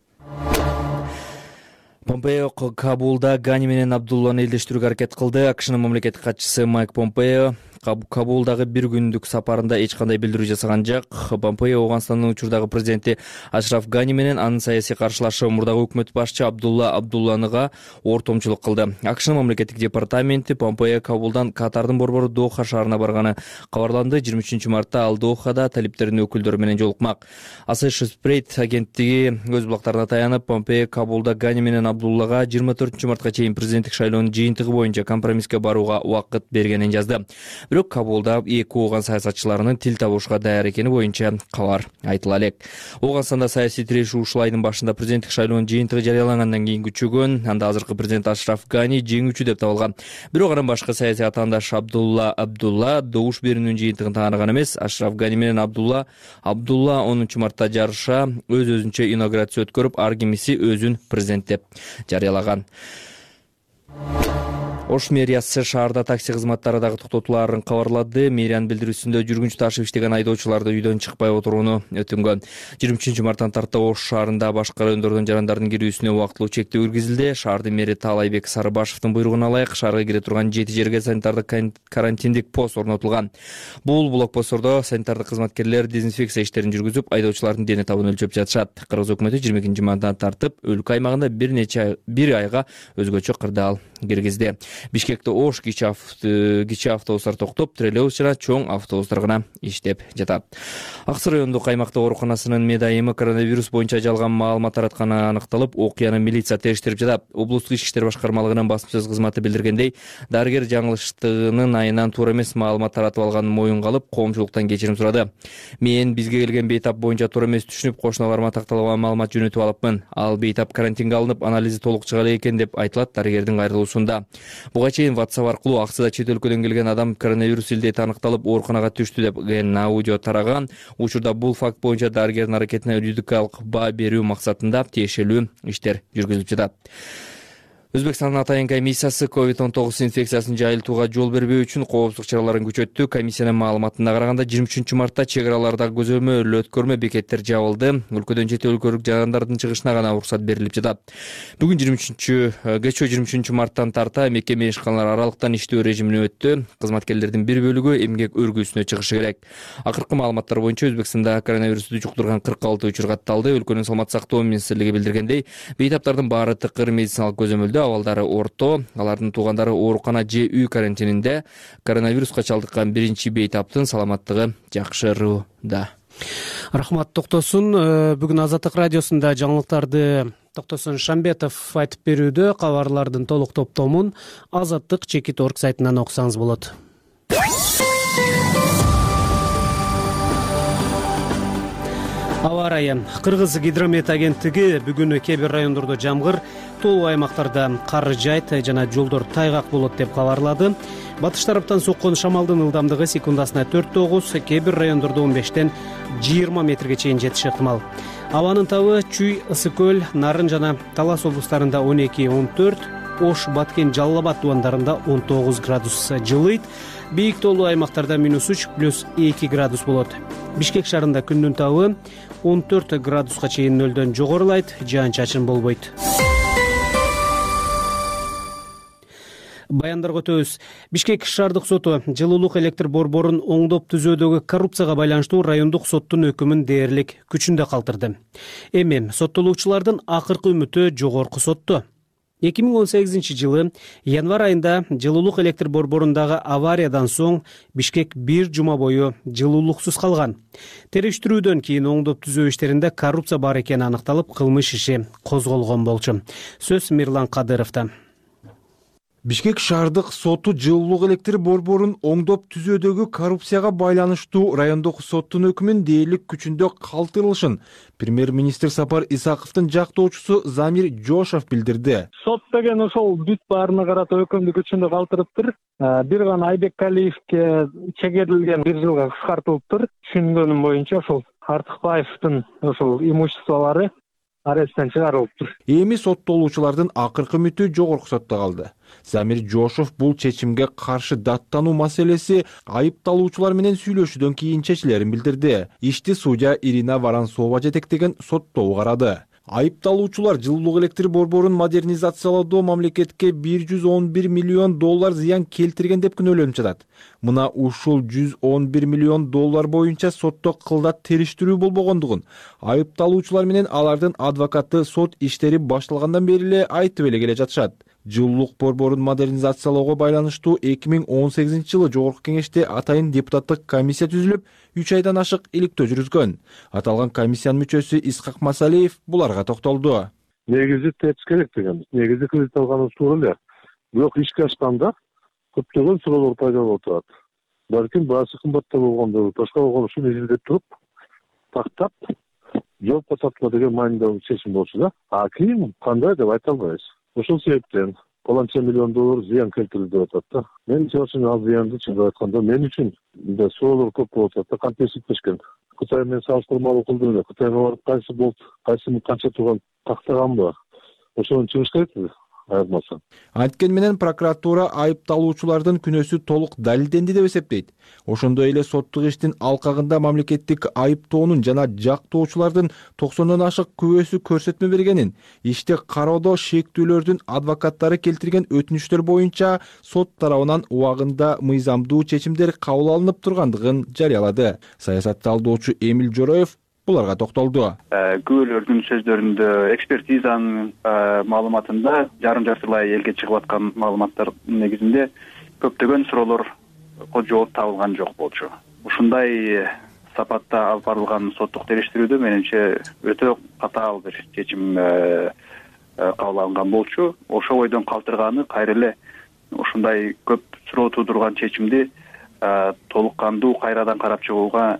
S4: Помпео Кабулда Гани менен Абдулланы элдештирүүгө аракет кылды. АКШнын мамлекеттик катчысы Майк Помпео Кабулдагы 1 күндүк сапарында эч кандай билдирүү жасаган жок. Помпео Ооганстандын учурдагы президенти Ашраф Гани менен анын саясий каршылашы мурдагы өкмөт башчы Абдулланыга ортомчулук кылды. АКШнын мамлекеттик департаменти Помпео Кабулдан Катардын борбору Доха шаарына барганы кабарланды. 23 мартта ал Дохада талиптердин өкүлдөрү менен жолукмак. Associated Press агенттиги өз булактарына таянып, Помпео Кабулда Гани менен Абдуллага 24 мартка чейин президенттик шайлоонун жыйынтыгы боюнча компромисске барууга убакыт бергенин жазды. Бирок Кабулда эки ооган саясатчыларынын тил табышууга даяр экени боюнча кабар айтыла элек. Ооганстанда саясий тирешүү ушул айдын башында президенттик шайлоонун жыйынтыгы жарыялангандан кийин күчөгөн. Анда азыркы президент Ашраф Гани жеңүүчү деп табылган. Бирок анын башкы саясий атаандаш Абдулла добуш берүүнүн жыйынтыгын тааныган эмес. Ашраф Гани менен Абдулла 10 мартта жарыша өз-өзүнчө инаугурация өткөрүп, ар кимиси өзүн президент деп жарыялаган. Ош мэриясы шаарда такси кызматтары дагы токтотулаарын кабарлады. Мэриянын билдирүүсүндө жүргүнчү ташып иштеген айдоочуларды үйдөн чыкпай отурууну өтүнгөн. 23 марттан тарта Ош шаарында башка райондордон жарандардын кирүүсүнө убактылуу чектөө киргизилди. Шаардын мэри Таалайбек Сарыбашевдин буйругуна ылайык шаарга кире турган 7 жерге санитардык карантиндик пост орнотулган. Бул блокпосттордо санитардык кызматкерлер дезинфекция иштерин жүргүзүп, айдоочулардын дене табын өлчөп жатышат. Кыргыз өкмөтү 22 мартан тартып өлкө аймагында бир айга өзгөчө кырдаал киргизди. Бишкекте Ош кичи автобустар токтоп, троллейбус жана чоң автобустар гана иштеп жатат. Аксы райондук аймактык ооруканасынын медайымы коронавирус боюнча жалган маалымат таратканы аныкталып, окуяны милиция териштирип жатат. Облустук ички иштер башкармалыгынын басма кызматы билдиргендей, дарыгер жаңылыштыгынын айынан туура эмес маалымат таратып алганын моюнга алып, коомчулуктан кечирим сурады. Мен бизге келген бейтап боюнча туура эмес түшүнүп, кошуналарыма такталган маалымат жөнөтүп алыпмын. Ал бейтап карантинге алынып, анализи толук чыга элек экен деп айтылат дарыгердин кайрылуусунда. Буга чейин WhatsApp аркылуу аксыда чет өлкөдөн келген адам коронавирус илдети аныкталып, ооруканага түштү деп аудио тараган. Учурда бул факт боюнча дарыгердин аракетине юридикалык баа берүү максатында тиешелүү иштер жүргүзүлүп жатат. Өзбекстандын атайын комиссиясы COVID-19 инфекциясын жайылтууга жол бербөө үчүн коопсуздук чараларын күчөттү. Комиссиянын маалыматына караганда 23 мартта чек аралардагы көзөмөл өткөрмө бекеттер жабылды. Өлкөдөн чет өлкөлүк жарандардын чыгышына гана уруксат берилип жатат. Бүгүн кечээ 23 марттан тарта мекеме ишканалар аралыктан иштөө режимине өттү. Кызматкерлердин бир бөлүгү эмгек өргүүсүнө чыгышы керек. Акыркы маалыматтар боюнча Өзбекстанда коронавирусту жуктурган 46 учур катталды. Өлкөнүн саламаттык сактоо министрлиги билдиргендей, бейтаптардын баары тыкыр медициналык көзөмөлдө, абалдары орто, алардын туугандары оорукана же үй карантининде. Коронавируска чалдыккан биринчи бейтаптын саламаттыгы жакшырууда.
S1: Рахмат, токтосун. Бүгүн Азаттык радиосунда жаңылыктарды Токтосун Шамбетов айтып берүүдө. Кабарлардын толук топтомун Азаттык.org сайтынан окусаңыз болот. Аба ырайы. Кыргыз гидромет агенттиги бүгүн кээ бир райондордо жамгыр, толуу аймактарда кар жайт жана жолдор тайгак болот деп кабарлады. Батыш тараптан соккон шамалдын ылдамдыгы секундасына 4-9, кээ бир райондордо 15-20 метрге чейин жетиши ыктымал. Абанын табы Чүй, Ысык көл, Нарын жана Талас облустарында 12-14, Ош, Баткен, Жалал Абад дубандарында 19 градус жылыйт. Бийик толуу аймактарда -3 +2 градус болот. Бишкек шаарында күндүн табы 14 градуска чейин нөлдөн жогорулайт, жаан-чачын болбойт. Баяндарга өтөбүз. Бишкек шаардык соту жылуулук электр борборун оңдоп түзөөдөгү коррупцияга байланыштуу райондук соттун өкүмүн дээрлик күчүндө калтырды. Эми соттолуучулардын акыркы үмүтү жогорку сотто. 2018 жылы январь айында жылуулук электр борборундагы авариядан соң Бишкек бир жума бою жылуулуксуз калган. Териштирүүдөн кийин оңдоп түзөө иштеринде коррупция бар экени аныкталып, кылмыш иши козголгон болчу. Сөз Мирлан Кадыровдо.
S16: Бишкек шаардык соту жылуулук электр борборун оңдоп түзөөдөгү коррупцияга байланыштуу райондук соттун өкүмүн дээрлик күчүндө калтырылышын премьер-министр Сапар Исаковдун жактоочусу Замир Жошов билдирди.
S10: Сот деген ошол бүт баарына карата өкүмдү күчүндө калтырыптыр. Бир гана Айбеккалиевке чегерилген 1 жылга кыскартылыптыр. Түшүнгөнүм боюнча ошол Артыкбаевдин ошол имуществолору аресттен чыгарылыптыр.
S16: Эми соттолуучулардын акыркы үмүтү жогорку сотто калды. Замир Жошов бул чечимге каршы даттануу маселеси айыпталуучулар менен сүйлөшүүдөн кийин чечилерин билдирди. Ишти судья Ирина Воронцова жетектеген соттоо карады. Айыпталуучулар жылуулук электр борборун модернизациялоодо мамлекетке $111 миллион зыян келтирген деп күнөөлөнүп жатат. Мына ушул $111 миллион боюнча сотто кылдат териштирүү болбогондугун айыпталуучулар менен алардын адвокаты сот иштери башталгандан бери эле айтып эле келе жатышат. Жылуулук борборун модернизациялоого байланыштуу 2018 жылы жогорку кеңеште атайын депутаттык комиссия түзүлүп, 3 айдан ашык иликтөө жүргүзгөн. Аталган комиссиянын мүчөсү Исхак Масалиев буларга токтолду.
S17: Негизи тепс керек деген. Негизи кредит алганыбыз туура эле. Бирок ишке ашканда көптөгөн суроолор пайда болуп турат. Балким баасы кымбатта болгондо, башка болгондо ушуну изилдеп туруп, тактап, жоопко тартма деген маанидагы чечим болчу да. А кийин кандай деп айта албайбыз. Ошол себептен $1 миллион зыян келтирилди деп атат да. Мен үчүн ал зыянды чындап айтканда мен үчүн да суроолор көп болуп атат да, кантесиптешкен. Кытай менен салыштырмалуу кылдым эле. Кытайга барып кайсы болуп, кайсынын канча турган тактаганбы? Ошону чыгыш керек. айырмасы.
S16: Анткени менен прокуратура айыпталуучулардын күнөөсү толук далилденди деп эсептейт. Ошондой эле соттук иштин алкагында мамлекеттик айыптоонун жана жактоочулардын 90дон ашык күбөсү көрсөтмө бергенин, ишти кароодо шектүүлөрдүн адвокаттары келтирген өтүнүчтөр боюнча сот тарабынан убагында мыйзамдуу чечимдер кабыл алынып тургандыгын жарыялады. Саясат талдоочу Эмил Жороев буларга токтолду.
S18: Күбөлөрдүн сөздөрүндө, экспертизанын маалыматында жарым-жартылай элге чыгып аткан маалыматтар негизинде көптөгөн суроолорго жооп табылган жок болчу. Ушундай сапатта алып барылган соттук териштирүүдө менимче өтө катаал бир чечим кабыл алынган болчу. Ошол бойдон калтырганы кайра эле ушундай көп суроо туудурган чечимди толук кандуу кайрадан карап чыгууга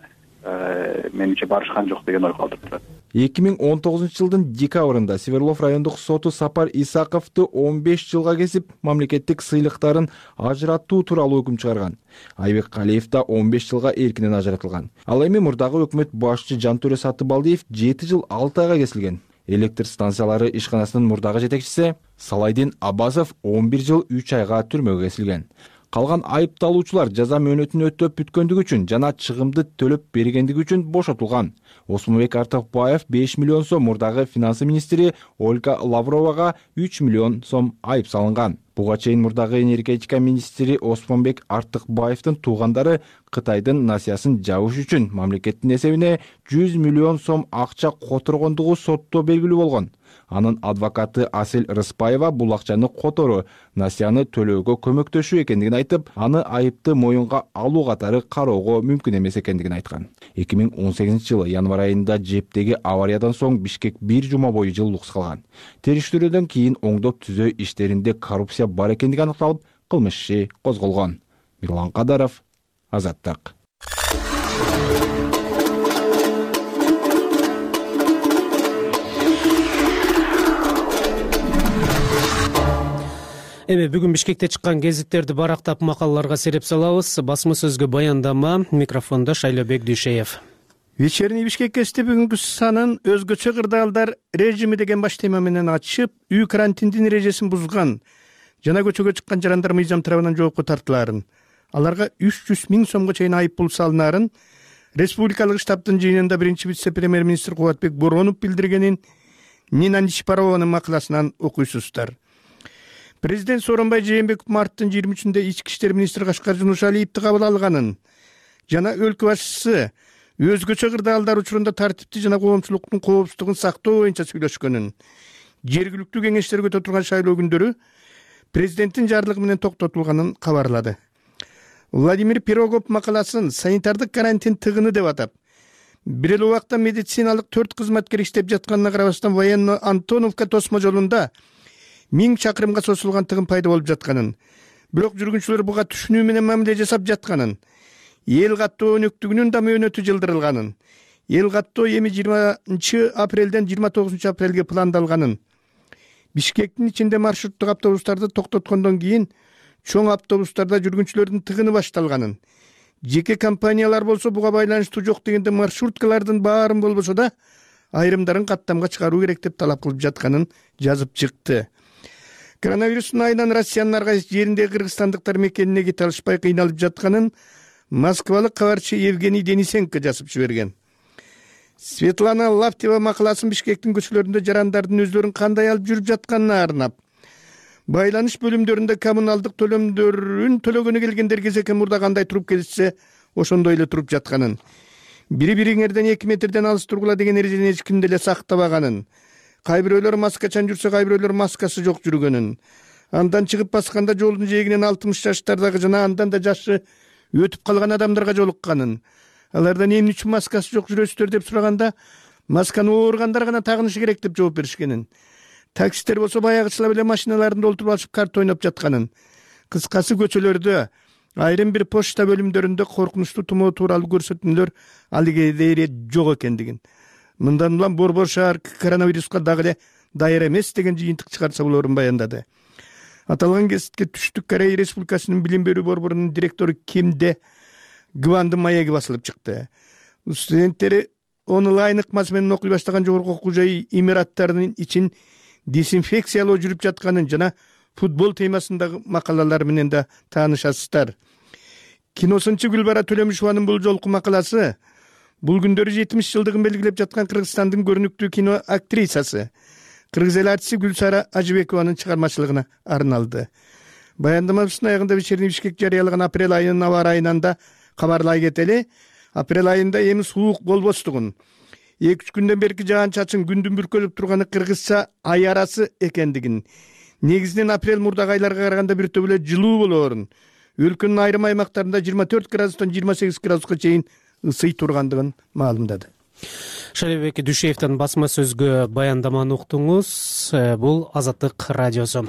S18: менимче барышкан жок деген ой калтырып турат.
S16: 2019-жылдын декабрында Свердлов райондук соту Сапар Исаковду 15 жылга кесип, мамлекеттик сыйлыктарын ажыраттуу тууралуу өкүм чыгарган. Айбек Калиев да 15 жылга эркинен ажыратылган. Ал эми мурдагы өкмөт башчы Жантөре Сатыбалдиев 7 жыл 6 айга кесилген. Электр станциялары ишканасынын мурдагы жетекчиси Салайдин Абазов 11 жыл 3 айга түрмөгө кесилген. Калган айыпталуучулар жаза мөөнөтүн өтөп бүткөндүгү үчүн жана чыгымды төлөп бергендиги үчүн бошотулган. Осмонбек Артыкбаев 5 миллион сом, мурдагы финансы министри Ольга Лавровага 3 миллион сом айып салынган. Буга чейин мурдагы энергетика министри Осмонбек Артыкбаевдин туугандары Кытайдын насыясын жабыш үчүн мамлекеттин эсебине 100 миллион сом акча которгондугу сотто белгилүү болгон. Анын адвокаты Асел Рыспаева бул акчаны которуу, насыяны төлөөгө көмөктөшүү экендигин айтып, аны айыпты моюнга алуу катары кароого мүмкүн эмес экендигин айткан. 2018-жылы январь айында жептеги авариядан соң Бишкек 1 жума бою жылуулуксуз калган. Териштирүүдөн кийин оңдоп түзөө иштеринде коррупция бар экендиги аныкталып, кылмыш иши козголгон. Мирлан Кадаров, Азаттык.
S1: Эми бүгүн Бишкекте чыккан гезиттерди барактап макалаларга сереп салабыз. Басма сөзгө баяндама, микрофондо Шайлобек Дүйшеев.
S19: Вечерний Бишкек гезити бүгүнкү санын өзгөчө кырдаалдар режими деген баш тема менен ачып, үй карантиндин эрежесин бузган жана көчөгө чыккан жарандар мыйзам тарабынан жоопко тартылаарын, аларга 300 миң сомго чейин айып пул салынаарын республикалык штабтын жыйынында биринчи вице-премьер-министр Кубатбек Боронов билдиргенин Нина Нишпарованын макаласынан окуйсуздар. Президент Сооронбай Жээнбеков марттын 23-нде ички иштер министри Кашкар Жунушалиевди кабыл алганын жана өлкө башчысы өзгөчө кырдаалдар учурунда тартипти жана коомчулуктун коопсуздугун сактоо боюнча сүйлөшкөнүн, жергиликтүү кеңештерге өтө турган шайлоо күндөрү президенттин жарлыгы менен токтотулганын кабарлады. Владимир Пирогов макаласын санитардык карантин тыгыны деп атап, бир эле убакта медициналык 4 кызматкер иштеп жатканына карабастан военно Антоновка тосмо жолунда 1000 чакырымга созулган тыгын пайда болуп жатканын, бирок жүргүнчүлөр буга түшүнүү менен мамиле жасап жатканын, эл каттоо өнөктүгүнүн да мөөнөтү жылдырылганын, эл каттоо эми 20 апрелден 29 апрелге пландалганын, Бишкектин ичинде маршруттук автобустарды токтоткондон кийин чоң автобустарда жүргүнчүлөрдүн тыгыны башталганын, жеке компаниялар болсо буга байланыштуу жок дегенде маршруткалардын баарын болбосо да айрымдарын каттамга чыгаруу керек деп талап кылып жатканын жазып чыкты. Коронавирустун айынан Россиянын ар кайсы жеринде кыргызстандыктар мекенине кете алышпай кыйналып жатканын москвалык кабарчы Евгений Денисенко жазып жиберген. Светлана Лаптева макаласын Бишкектин көчөлөрүндө жарандардын өздөрүн кандай алып жүрүп жатканына арнап, байланыш бөлүмдөрүндө коммуналдык төлөмдөрүн төлөгөнү келгендер кезекке мурда кандай туруп келишсе, ошондой эле туруп жатканын, бири-бириңерден 2 метрден алыс тургула деген эрежени эч ким деле сактабаганын, кай бирөөлөр маскачан жүрсө, кай бирөөлөр маскасы жок жүргөнүн, андан чыгып басканда жолдун жээгинен 60 жаштардагы жана андан да жашы өтүп калган адамдарга жолукканын, алардан эмне үчүн маскасы жок жүрөсүздөр деп сураганда, масканы ооругандар гана тагынышы керек деп жооп беришкенин, таксисттер болсо баягычыла эле машиналарында олтуруп алышып карта ойноп жатканын, кыскасы көчөлөрдө айрым бир почта бөлүмдөрүндө коркунучтуу тумоо тууралуу көрсөтмөлөр алыгедере жок экендигин, мындан улам Борбор шаар коронавируска дагы эле даяр эмес деген жыйынтык чыгарса болорун баяндады. Аталган гезитке Түштүк Корея Республикасынын билим берүү борборунун директору Кимде Гвандын маеги басылып чыкты. Студенттери онлайн ыкмасы менен окуй баштаган жогорку окуу жай имараттарынын ичин дезинфекциялоо жүрүп жатканын жана футбол темасындагы макалалар менен да таанышасыздар. Киносунчу Гүлбара Төлөмүшованын бул жолку макаласы бул күндөрү 70 жылдыгын белгилеп жаткан Кыргызстандын көрүнүктүү кино актрисасы, кыргыз эл артисти Гүлсара Ажыбекованын чыгармачылыгына арналды. Баяндамабыздын аягында вечерний Бишкек жарыялаган апрель айынын аба ырайынан да кабарлай кетели. Апрель айында эми суук болбостугун, 2-3 күндөн берки жаан чачын күндүн бүркөлүп турганы кыргызча ай арасы экендигин, негизинен апрель мурдагы айларга караганда бир төбөлө жылуу болоорун, өлкөнүн айрым аймактарында 24 градустан 28 градуска чейин ысый тургандыгын маалымдады.
S1: Шалибек Дүйшеевдин басма сөзгө баяндаманы уктуңуз. Бул Азаттык радиосу.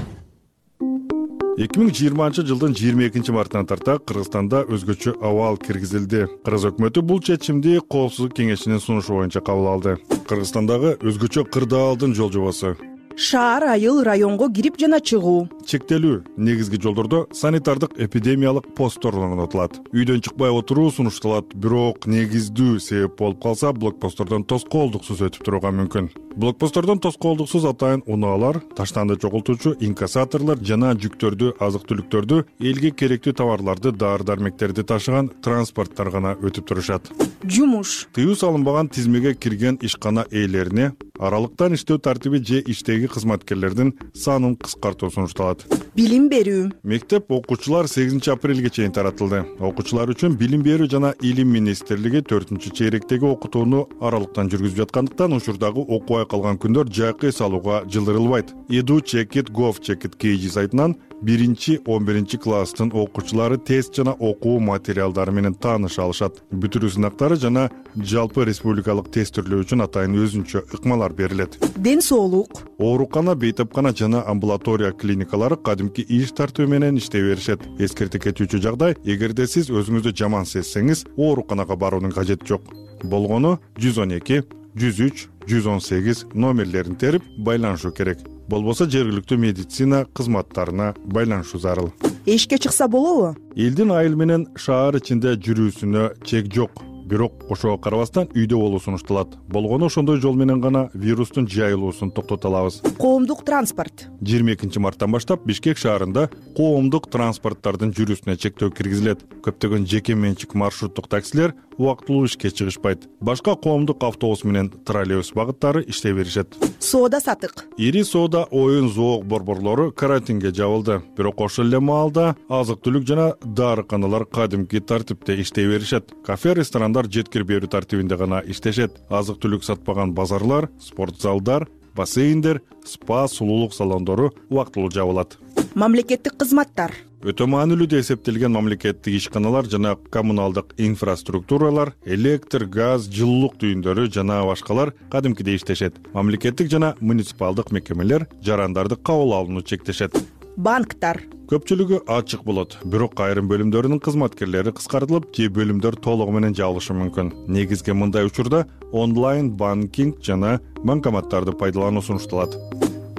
S20: 2020 жылдын 22 мартынан тарта Кыргызстанда өзгөчө абал киргизилди. Кыргыз өкмөтү бул чечимди Коопсуздук кеңешинин сунушу боюнча кабыл алды. Кыргызстандагы өзгөчө кырдаалдын жол жобосу
S21: шаар, айыл, районго кирип жана чыгуу
S20: чектелүү, негизги жолдордо санитардык эпидемиялык посттор орнотулат. Үйдөн чыкпай отуруу сунушталат, бирок негиздүү себеп болуп калса блокпосттордон тоскоолдуксуз өтүп турууга мүмкүн. Блокпосттордон тоскоолдуксуз атайын унаалар, таштанды чогултуучу инкассаторлор жана жүктөрдү, азык-түлүктөрдү, элге керектүү товарларды, дары-дармектерди ташыган транспорттор гана өтүп турушат.
S21: Жумуш.
S20: Тыюу салынбаган тизмеге кирген ишкана ээлерине аралыктан иштөө тартиби же иштеги кызматкерлердин санын кыскартуу сунушталат.
S21: Билим берүү.
S20: Мектеп окуучулар 8 апрелге чейин таратылды. Окуучулар үчүн Билим берүү жана Илим министрлиги 4-чейректеги окутууну аралыктан жүргүзүп жаткандыктан учурдагы окубай калган күндөр жайкы эс алууга жылдырылбайт. edu.chekit.gov.kg сайтынан 1-11 класстын окуучулары тест жана окуу материалдары менен тааныша алышат. Бүтүрүү сынактары жана жалпы республикалык тест түрлөө үчүн атайын өзүнчө ыкмалар берилет.
S21: Ден соолук.
S20: Оорукана, бейтапкана жана амбулатория клиникалары кадимки иш тартуу менен иштей беришет. Эскерте кетүүчү жагдай, эгерде сиз өзүңүздү жаман сезсеңиз, ооруканага баруунун кажети жок. Болгону 112, 103, 118 номерлерин терип байланышуу керек. Болбосо жергиликтүү медицина кызматтарына байланышуу зарыл.
S21: Эшикке чыкса болобу?
S20: Элдин айыл менен шаар ичинде жүрүүсүнө чек жок. Бирок ошого карабастан үйдө болуу сунушталат. Болгону ошондой жол менен гана вирустун жайылуусун токтото алабыз.
S21: Коомдук транспорт.
S20: 22 марттан баштап Бишкек шаарында коомдук транспорттардын жүрүүсүнө чектөө киргизилет. Көптөгөн жеке менчик маршруттук таксилер убактылуу ишке чыгышпайт. Башка коомдук автобус менен троллейбус багыттары иштей беришет.
S21: Соода сатык.
S20: Ири соода, оюн, зоок борборлору карантинге жабылды. Бирок ошол эле маалда азык-түлүк жана дарыканалар кадимки тартипте иштей беришет. Кафе, ресторандар жеткир берүү тартибинде гана иштешет. Азык-түлүк сатпаган базарлар, спорт залдар, бассейндер, спа, сулуулук салондору убактылуу жабылат.
S21: Мамлекеттик кызматтар.
S20: Өтө маанилүү деп эсептелген мамлекеттик ишканалар жана коммуналдык инфраструктуралар, электр, газ, жылуулук түйүндөрү жана башкалар кадимкидей иштешет. Мамлекеттик жана муниципалдык мекемелер жарандарды кабыл алууну чектешет.
S21: Банктар.
S20: Көпчүлүгү ачык болот, бирок айрым бөлүмдөрүнүн кызматкерлери кыскартылып, кээ бөлүмдөр толугу менен жабылышы мүмкүн. Негизги мындай учурда онлайн банкинг жана банкоматтарды пайдалануу сунушталат.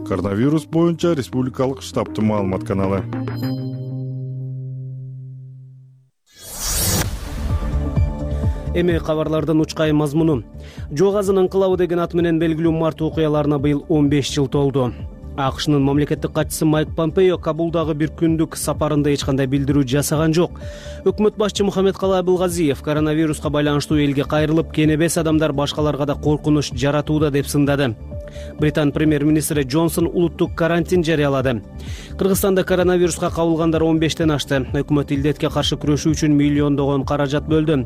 S20: Коронавирус боюнча республикалык штабтын маалымат каналы.
S1: Эми кабарлардын учкай мазмуну. Жоо газынын ыңкылабы деген ат менен белгилүү март окуяларына быйыл 15 жыл толду. АКШнын мамлекеттик катчысы Майк Помпео Кабулдагы бир күндүк сапарында эч кандай билдирүү жасаган жок. Өкмөт башчы Мухаммедкалый Абылгазиев коронавируска байланыштуу элге кайрылып, кенебес адамдар башкаларга да коркунуч жаратууда деп сындады. Британ премьер-министри Джонсон улуттук карантин жарыялады. Кыргызстанда коронавируска кабылгандар 15тен ашты. Өкмөт илдетке каршы күрөшүү үчүн миллиондогон каражат бөлдү.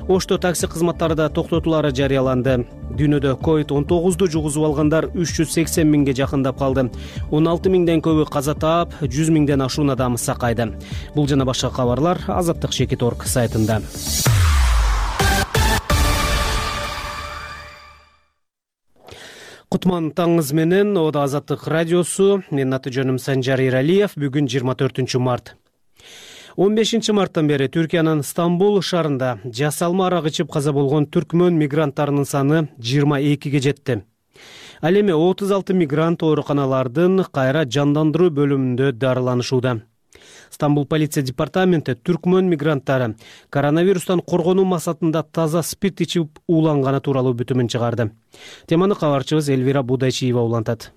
S1: Ошто такси кызматтары да токтотулары жарыяланды. Дүйнөдө COVID-19 жугузуп алгандар 380 миңге жакындап калды. 16 миңден көбү каза таап, 100 миңден ашуун адам сакайды. Бул жана башка кабарлар Азаттык.org сайтында. Кутман таңыңыз менен, ода Азаттык радиосу. Менин аты жөнүм Санжар Иралиев. Бүгүн 24 март. 15 марттан бери Түркиянын Стамбул шаарында жасалма арак ичип каза болгон түркмөн мигранттарынын саны 22ге жетти. Ал эми 36 мигрант ооруканалардын кайра жандандыруу бөлүмүндө дарыланышууда. Стамбул полиция департаменти түркмөн мигранттары коронавирустан коргонуу максатында таза спирт ичип ууланганы тууралуу бүтүмүн чыгарды. Теманы кабарчыбыз Элвира Будайчиева улантат.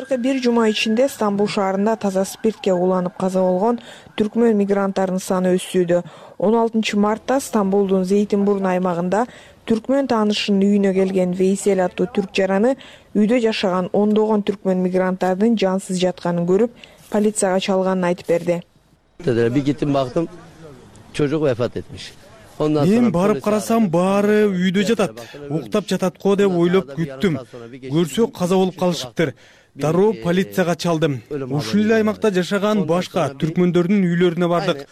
S21: Акыркы бир жума ичинде Стамбул шаарында таза спиртке ууланып каза болгон түркмөн мигранттарынын саны өссүүдө. 16 мартта Стамбулдун Зейтинбурн аймагында түркмөн таанышынын үйүнө келген Вейсел аттуу түрк жараны үйдө жашаган ондогон түркмөн мигранттардын жансыз жатканын көрүп, полицияга чалганын айтып берди.
S11: Bir gittim baktım çocuk vefat etmiş.
S12: Мен барып карасам, баары үйдө жатат, уктап жатат го деп ойлоп күттүм. Көрсө каза болуп калышыптыр. Дароо полицияга чалдым. Ушул эле аймакта жашаган башка түркмөндөрдүн үйлөрүнө бардык.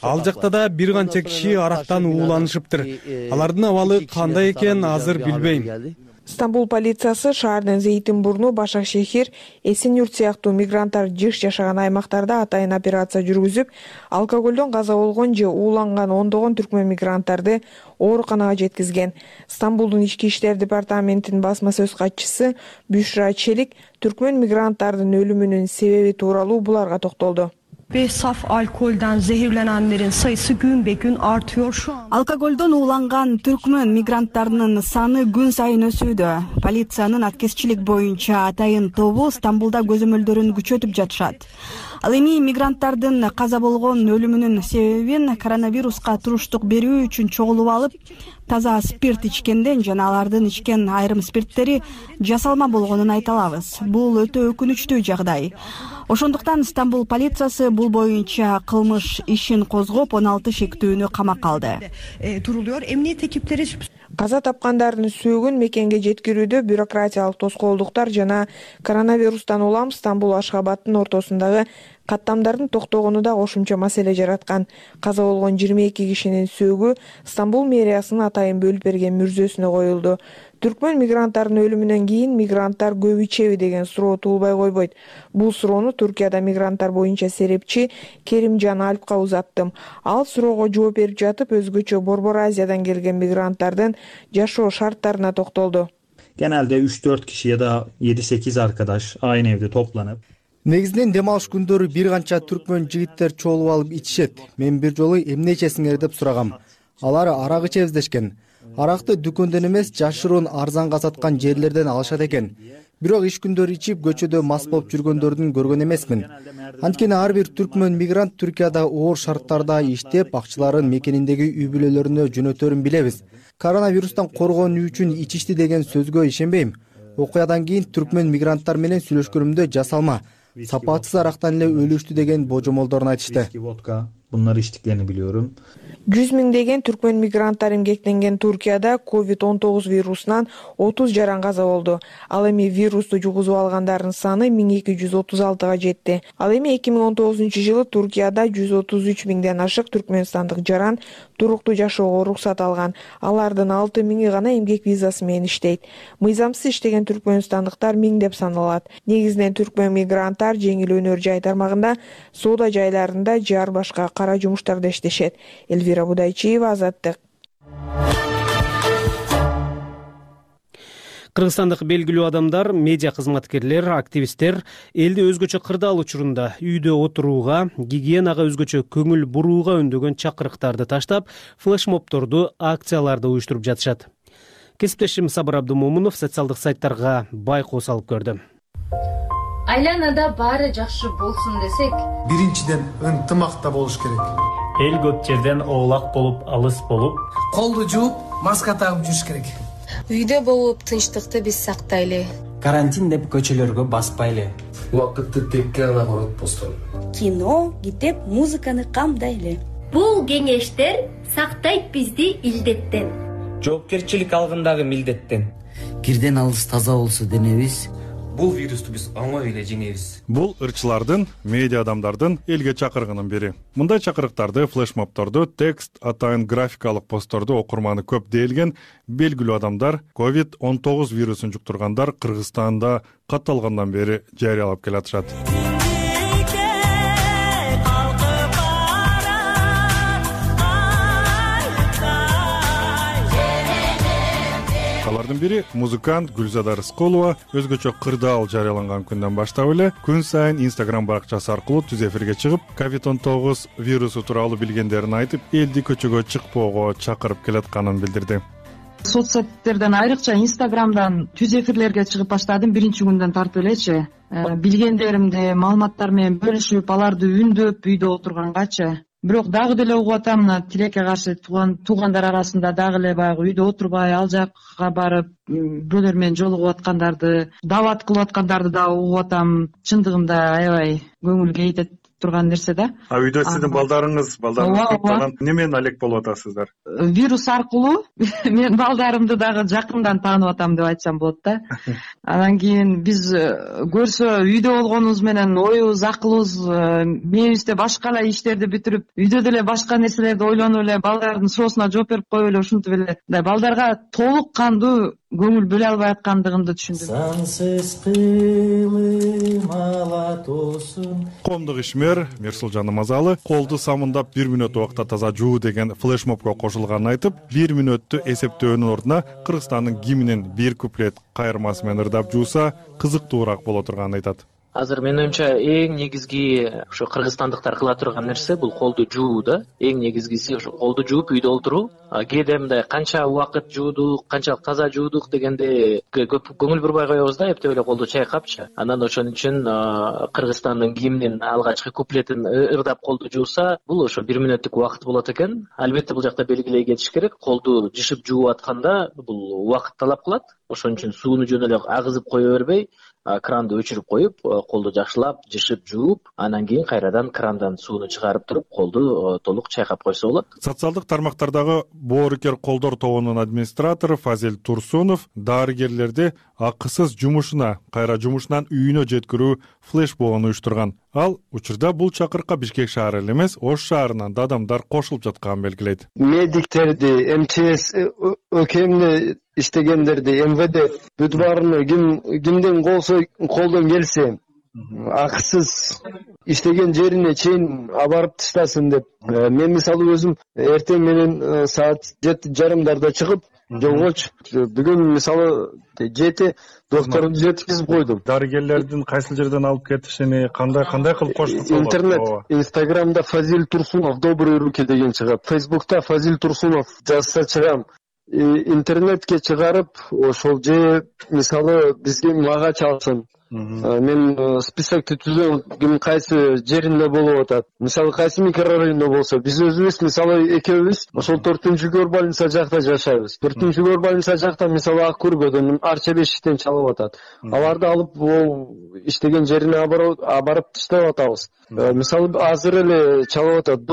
S12: Ал жакта да бир канча киши арактан ууланышыптыр. Алардын абалы кандай экен азыр билбейм.
S21: Стамбул полициясы шаардын Зейтинбурну, Башакшехир, Эсен-Юрт сыяктуу мигранттар жыш жашаган аймактарда атайын операция жүргүзүп, алкоголдон каза болгон же ууланган ондогон түркмөн мигранттарды ооруканага жеткизген. Стамбулдун ички иштер департаментинин басма сөз катчысы Бюшра Челик түркмөн мигранттардын өлүмүнүн себеби тууралуу буларга токтолду.
S7: Ve saf alkolden zehirlenenlerin sayısı gün be gün artıyor şu an.
S21: Алкоголдон ууланган түркмөн мигранттарынын саны күн сайын өсүүдө. Полициянын аткезчилик боюнча атайын тобу Стамбулда көзөмөлдөрүн күчөтүп жатышат. Ал эми мигранттардын каза болгон өлүмүнүн себебин коронавируска туруштук берүү үчүн чогулуп алып, таза спирт ичкенден жана алардын ичкен айрым спирттери жасалма болгонун айта алабыз. Бул өтө өкүнүчтүү жагдай. Ошондуктан Стамбул полициясы бул боюнча кылмыш ишин козгоп 16 шектүүнү камакка алды.
S7: Duruluyor. Emniyet ekipleri
S21: Каза тапкандардын сөөгүн мекенге жеткирүүдө бюрократиялык тоскоолдуктар жана коронавирустан улам Стамбул Ашхабадтын ортосундагы каттамдардын токтогону да кошумча маселе жараткан. Каза болгон 22 кишинин сөөгү Стамбул мэриясынын атайын бөлүп берген мүрзөсүнө коюлду. Түркмөн мигранттардын өлүмүнөн кийин мигранттар көп ичеби деген суроо туулбай койбойт. Бул суроону Туркияда мигранттар боюнча серепчи Керимжан Алпка узаттым. Ал суроого жооп берип жатып өзгөчө Борбор Азиядан келген мигранттардын жашоо шарттарына токтолду.
S22: Genelde 3-4 kişi ya da 7-8 arkadaş aynı evde toplanıp
S6: Негизинен дем алыш күндөрү бир канча түркмөн жигиттер чогулуп алып ичишет. Мен бир жолу эмне ичесиңер деп сурагам. Алар арак ичебиз дешкен. Аракты дүкөндөн эмес, жашыруун арзанга саткан жерлерден алышат экен. Бирок иш күндөрү ичип көчөдө мас болуп жүргөндөрдүн көргөн эмесмин. Анткени ар бир түркмөн мигрант Түркияда оор шарттарда иштеп, акчаларын мекениндеги үй бүлөлөрүнө жөнөтөрүн билебиз. Коронавирустан коргонуу үчүн ичишти деген сөзгө ишенбейм. Окуядан кийин түркмөн мигранттар менен сүйлөшкөнүмдө жасалма, сапатсыз арактан эле өлүштү деген божомолдорун айтышты.
S22: Bunları içtiklerini biliyorum.
S21: 100 миңдеген түркмөн мигранттар эмгектенген Туркияда COVID-19 вирусунан 30 жаран каза болду. Ал эми вирусту жугузуп алгандардын саны 1236га жетти. Ал эми 2019-жылы Туркияда 133 миңден ашык түркмөнстандык жаран туруктуу жашоого уруксат алган. Алардын 6 миңи гана эмгек визасы менен иштейт. Мыйзамсыз иштеген түркмөнстандыктар миңдеп саналат. Негизинен түркмөн мигранттар жеңил өнөр жай тармагында, соода жайларында жар башка кара жумуштарда иштешет. Эльвира Будайчиева, Азаттык.
S1: Кыргызстандык белгилүү адамдар, медиа кызматкерлер, активисттер элди өзгөчө кырдаал учурунда үйдө отурууга, гигиенага өзгөчө көңүл бурууга үндөгөн чакырыктарды таштап, флешмобторду, акцияларды уюштуруп жатышат. Кесиптешим Сабыр Абдумомунов социалдык сайттарга байкоо салып көрдү.
S23: Айланада баары жакшы болсун десек,
S24: биринчиден ынтымакта болуш керек.
S25: Эл көп жерден оолак болуп, алыс болуп,
S24: колду жууп, маска тагып жүрүш керек.
S13: Үйдө болуп тынчтыкты биз сактайлы.
S14: Карантин деп көчөлөргө баспайлы.
S24: Убакытты текке гана коротпостон.
S13: Кино, китеп, музыканы камдайлы.
S23: Бул кеңештер сактайт бизди илдеттен.
S26: Жоопкерчилик алгандагы милдеттен.
S27: Кирден алыс таза болсо денебиз,
S26: бул вирусту биз оңой эле жеңебиз.
S20: Бул ырчылардын, медиа адамдардын элге чакыргынын бири. Мындай чакырыктарды, флешмобторду, текст, атайын графикалык постторду окурманы көп дээлген белгилүү адамдар COVID-19 вирусун жуктургандар Кыргызстанда катталгандан бери жарыялап келатышат. Алардын бири музыкант Гүлзада Рыскулова өзгөчө кырдаал жарыяланган күндөн баштап эле күн сайын Instagram баракчасы аркылуу түз эфирге чыгып, COVID-19 вирусу тууралуу билгендерин айтып, элди көчөгө чыкпоого чакырып келатканын билдирди.
S2: соц сеттерден айрыкча Инстаграмдан түз эфирлерге чыгып баштадым биринчи күндөн тартып элечи. Билгендеримди маалыматтар менен бөлүшүп, аларды үндөп үйдө отургангачы. Бирок дагы деле угуп атам, мына тилекке каршы туугандар арасында дагы эле баягы үйдө отурбай ал жакка барып бирөөлөр менен жолугуп аткандарды, дават кылып аткандарды дагы угуп атам. Чындыгында аябай көңүл кейитет турган нерсе да.
S20: Үйдө сиздин балдарыңыз немен алек болуп атасыздар?
S2: Вирус аркылуу мен балдарымды дагы жакындан таанып атам деп айтсам болот да. Анан кийин биз көрсө үйдө болгонубуз менен оюбуз, акылыбыз мээбизде башка эле иштерди бүтүрүп, үйдө деле башка нерселерди ойлонуп эле балдардын суроосуна жооп берип коюп эле ушинтип эле балдарга толук кандуу көңүл бөлө албай аткандыгымды түшүндүм.
S3: Сансыз кылым алатосун.
S20: Коомдук ишмер Мирсулжан Намазалы колду самындап 1 мүнөт убакта таза жуу деген флешмобко кошулганын айтып, 1 мүнөттү эсептөөнүн ордуна Кыргызстандын гимнин бир куплет кайырмасы менен ырдап жууса кызыктуураак боло турганын айтат.
S4: Азыр менин оюмча эң негизги ошо кыргызстандыктар кыла турган нерсе бул колду жуу да. Эң негизгиси ошо колду жууп үйдө отуруу. Кээде мындай канча убакыт жуудук, канчалык таза жуудук дегенде көп көңүл бурбай коебуз да, эптеп эле колду чайкапчы. Анан ошон үчүн Кыргызстандын гимнин алгачкы куплетин ырдап колду жууса, бул ошо 1 мүнөттүк убакыт болот экен. Албетте бул жакта белгилей кетиш керек. Колду жышып жууп атканда бул убакыт талап кылат. Ошон үчүн сууну жөн эле агызып кое бербей, кранды өчүрүп коюп, колду жакшылап жышып жууп, анан кийин кайрадан крандан сууну чыгарып туруп, колду толук чайкап койсо болот.
S20: Социалдык тармактардагы боорукер колдор тобунун администратору Фазил Турсунов дарыгерлерди акысыз жумушуна, кайра жумушунан үйүнө жеткирүү флешмобун уюштурган. Ал учурда бул чакырыкка Бишкек шаары эле эмес, Ош шаарынан да адамдар кошулуп жатканын белгилейт.
S5: Медиктерди, МЧС ÖKM'de иштегендерди, МВД бүт баарыны кимден колдон келсе акысыз иштеген жерине чейин абарып таштасын деп. Мен мисалы өзүм эртең менен саат 7:30 чыгып жолгочу. Бүгүн мисалы 7 докторду жеткизип койдум.
S20: Дарыгерлердин кайсы жерден алып кетишини кандай кылып коштук?
S5: Интернет, Инстаграмда Фазил Турсунов добрые руки деген чыгат. Фейсбукта Фазил Турсунов жазса чыгам. Интернетке чыгарып, ошол же мисалы бизге мага чалсын. Мен списокты түзөм, ким кайсы жеринде болуп атат. Мисалы кайсы микрорайондо болсо, биз өзүбүз мисалы экөөбүз ошол 4-көр больница жакта жашайбыз. 4-көр больница жакта мисалы Ак Көргөдөн Арча Бешиктен чалып атат. Аларды алып ол иштеген жерине абарып таштап атабыз. Мисалы азыр эле чалып атат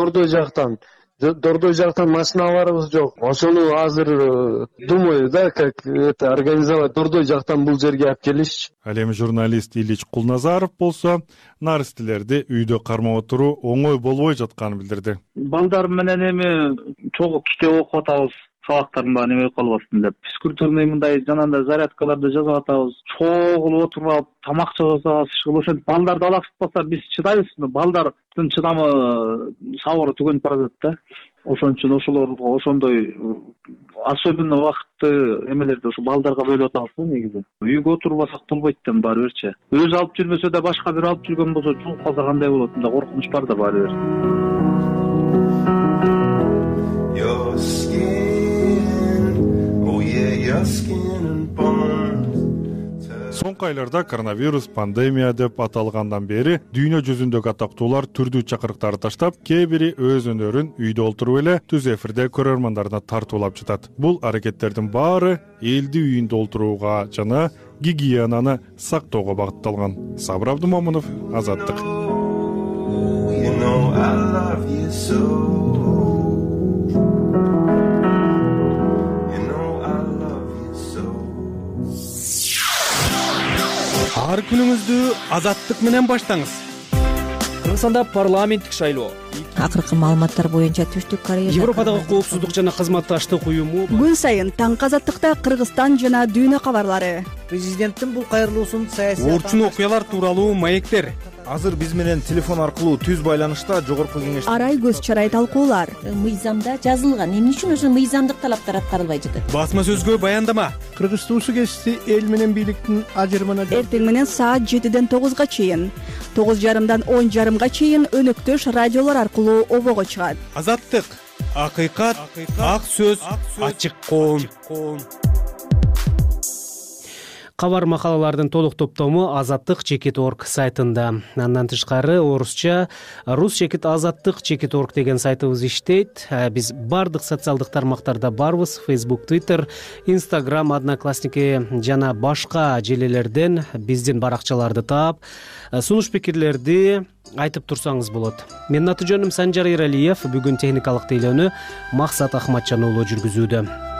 S5: Дордой жактан машиналарыбыз жок. Ошону азыр думаю, да, как это организовать Дордой жактан бул жерге алып келишчи.
S20: Ал эми журналист Илич Кулназаров болсо наристелерди үйдө кармап отуруу оңой болбой жатканын билдирди.
S10: Балдар менен эми чогуу китеп окуп атабыз. Сабактарын баары неме калбасын деп. Физкультурный мындай жанагындай зарядкаларды жазып атабыз. Чогулуп отуруп алып тамак жасабыз, ошентип балдарды алаксытпаса биз чыдайбызбы? Балдардын чыдамы сабыры түгөнүп барат да. Ошон үчүн ошолорго ошондой особенно убакытты эмелерди ошо балдарга бөлүп атабыз негизи. Үйгө отурбасак болбойт да баары бирчи. Өзү алып жүрмөсө да башка бир алып жүргөн болсо чогуу калса кандай болот? Мында коркунуч бар да баары бир.
S20: Соңку айларда коронавирус пандемия деп аталгандан бери дүйнө жүзүндөгү атактуулар түрдүү чакырыктарды таштап, кээ бири өз өнөрүн үйдө отуруп эле түз эфирде көрөрмандарына тартуулап жатат. Бул аракеттердин баары элди үйүндө олтурууга жана гигиенаны сактоого багытталган. Сабыр Абдумомунов, Азаттык.
S12: Ар күнүңүздү Азаттык менен баштаңыз.
S1: Кыргызстанда парламенттик шайлоо.
S8: Акыркы маалыматтар боюнча Түштүк Корея
S1: Европадагы коопсуздук жана кызматташтык уюму
S8: күн сайын таңкы Азаттыкта Кыргызстан жана дүйнө кабарлары.
S9: Президенттин бул кайрылуусун саясий
S12: Орчун окуялар тууралуу маектер.
S9: Азыр биз менен телефон аркылуу түз байланышта жогорку кеңеш
S8: арай көз чарай талкуулар.
S15: Мыйзамда жазылган, эмне үчүн ошо мыйзамдык талаптар аткарылбай жатат?
S12: Басма сөзгө баяндама.
S19: Кыргыз туусу кести эл менен бийликтин ажырымына
S8: эртең менен саат 7-ден 9-га чейин, 9:30-дан 10:30-га чейин өнөктөш радиолор аркылуу обого чыгат.
S12: Азаттык акыйкат, ак сөз, ачык коом.
S1: Кабар макалалардын толук топтому azattik.org сайтында. Андан тышкары орусча rus-azattik.org деген сайтыбыз иштейт. Биз бардык социалдык тармактарда барбыз: Facebook, Twitter, Instagram, Одноклассники жана башка желелерден биздин баракчаларды таап, сунуш пикирлерди айтып турсаңыз болот. Менин аты жөнүм Санжар Эралиев. Бүгүн техникалык тейлөөнү Максат Ахматжан уулу жүргүзүүдө.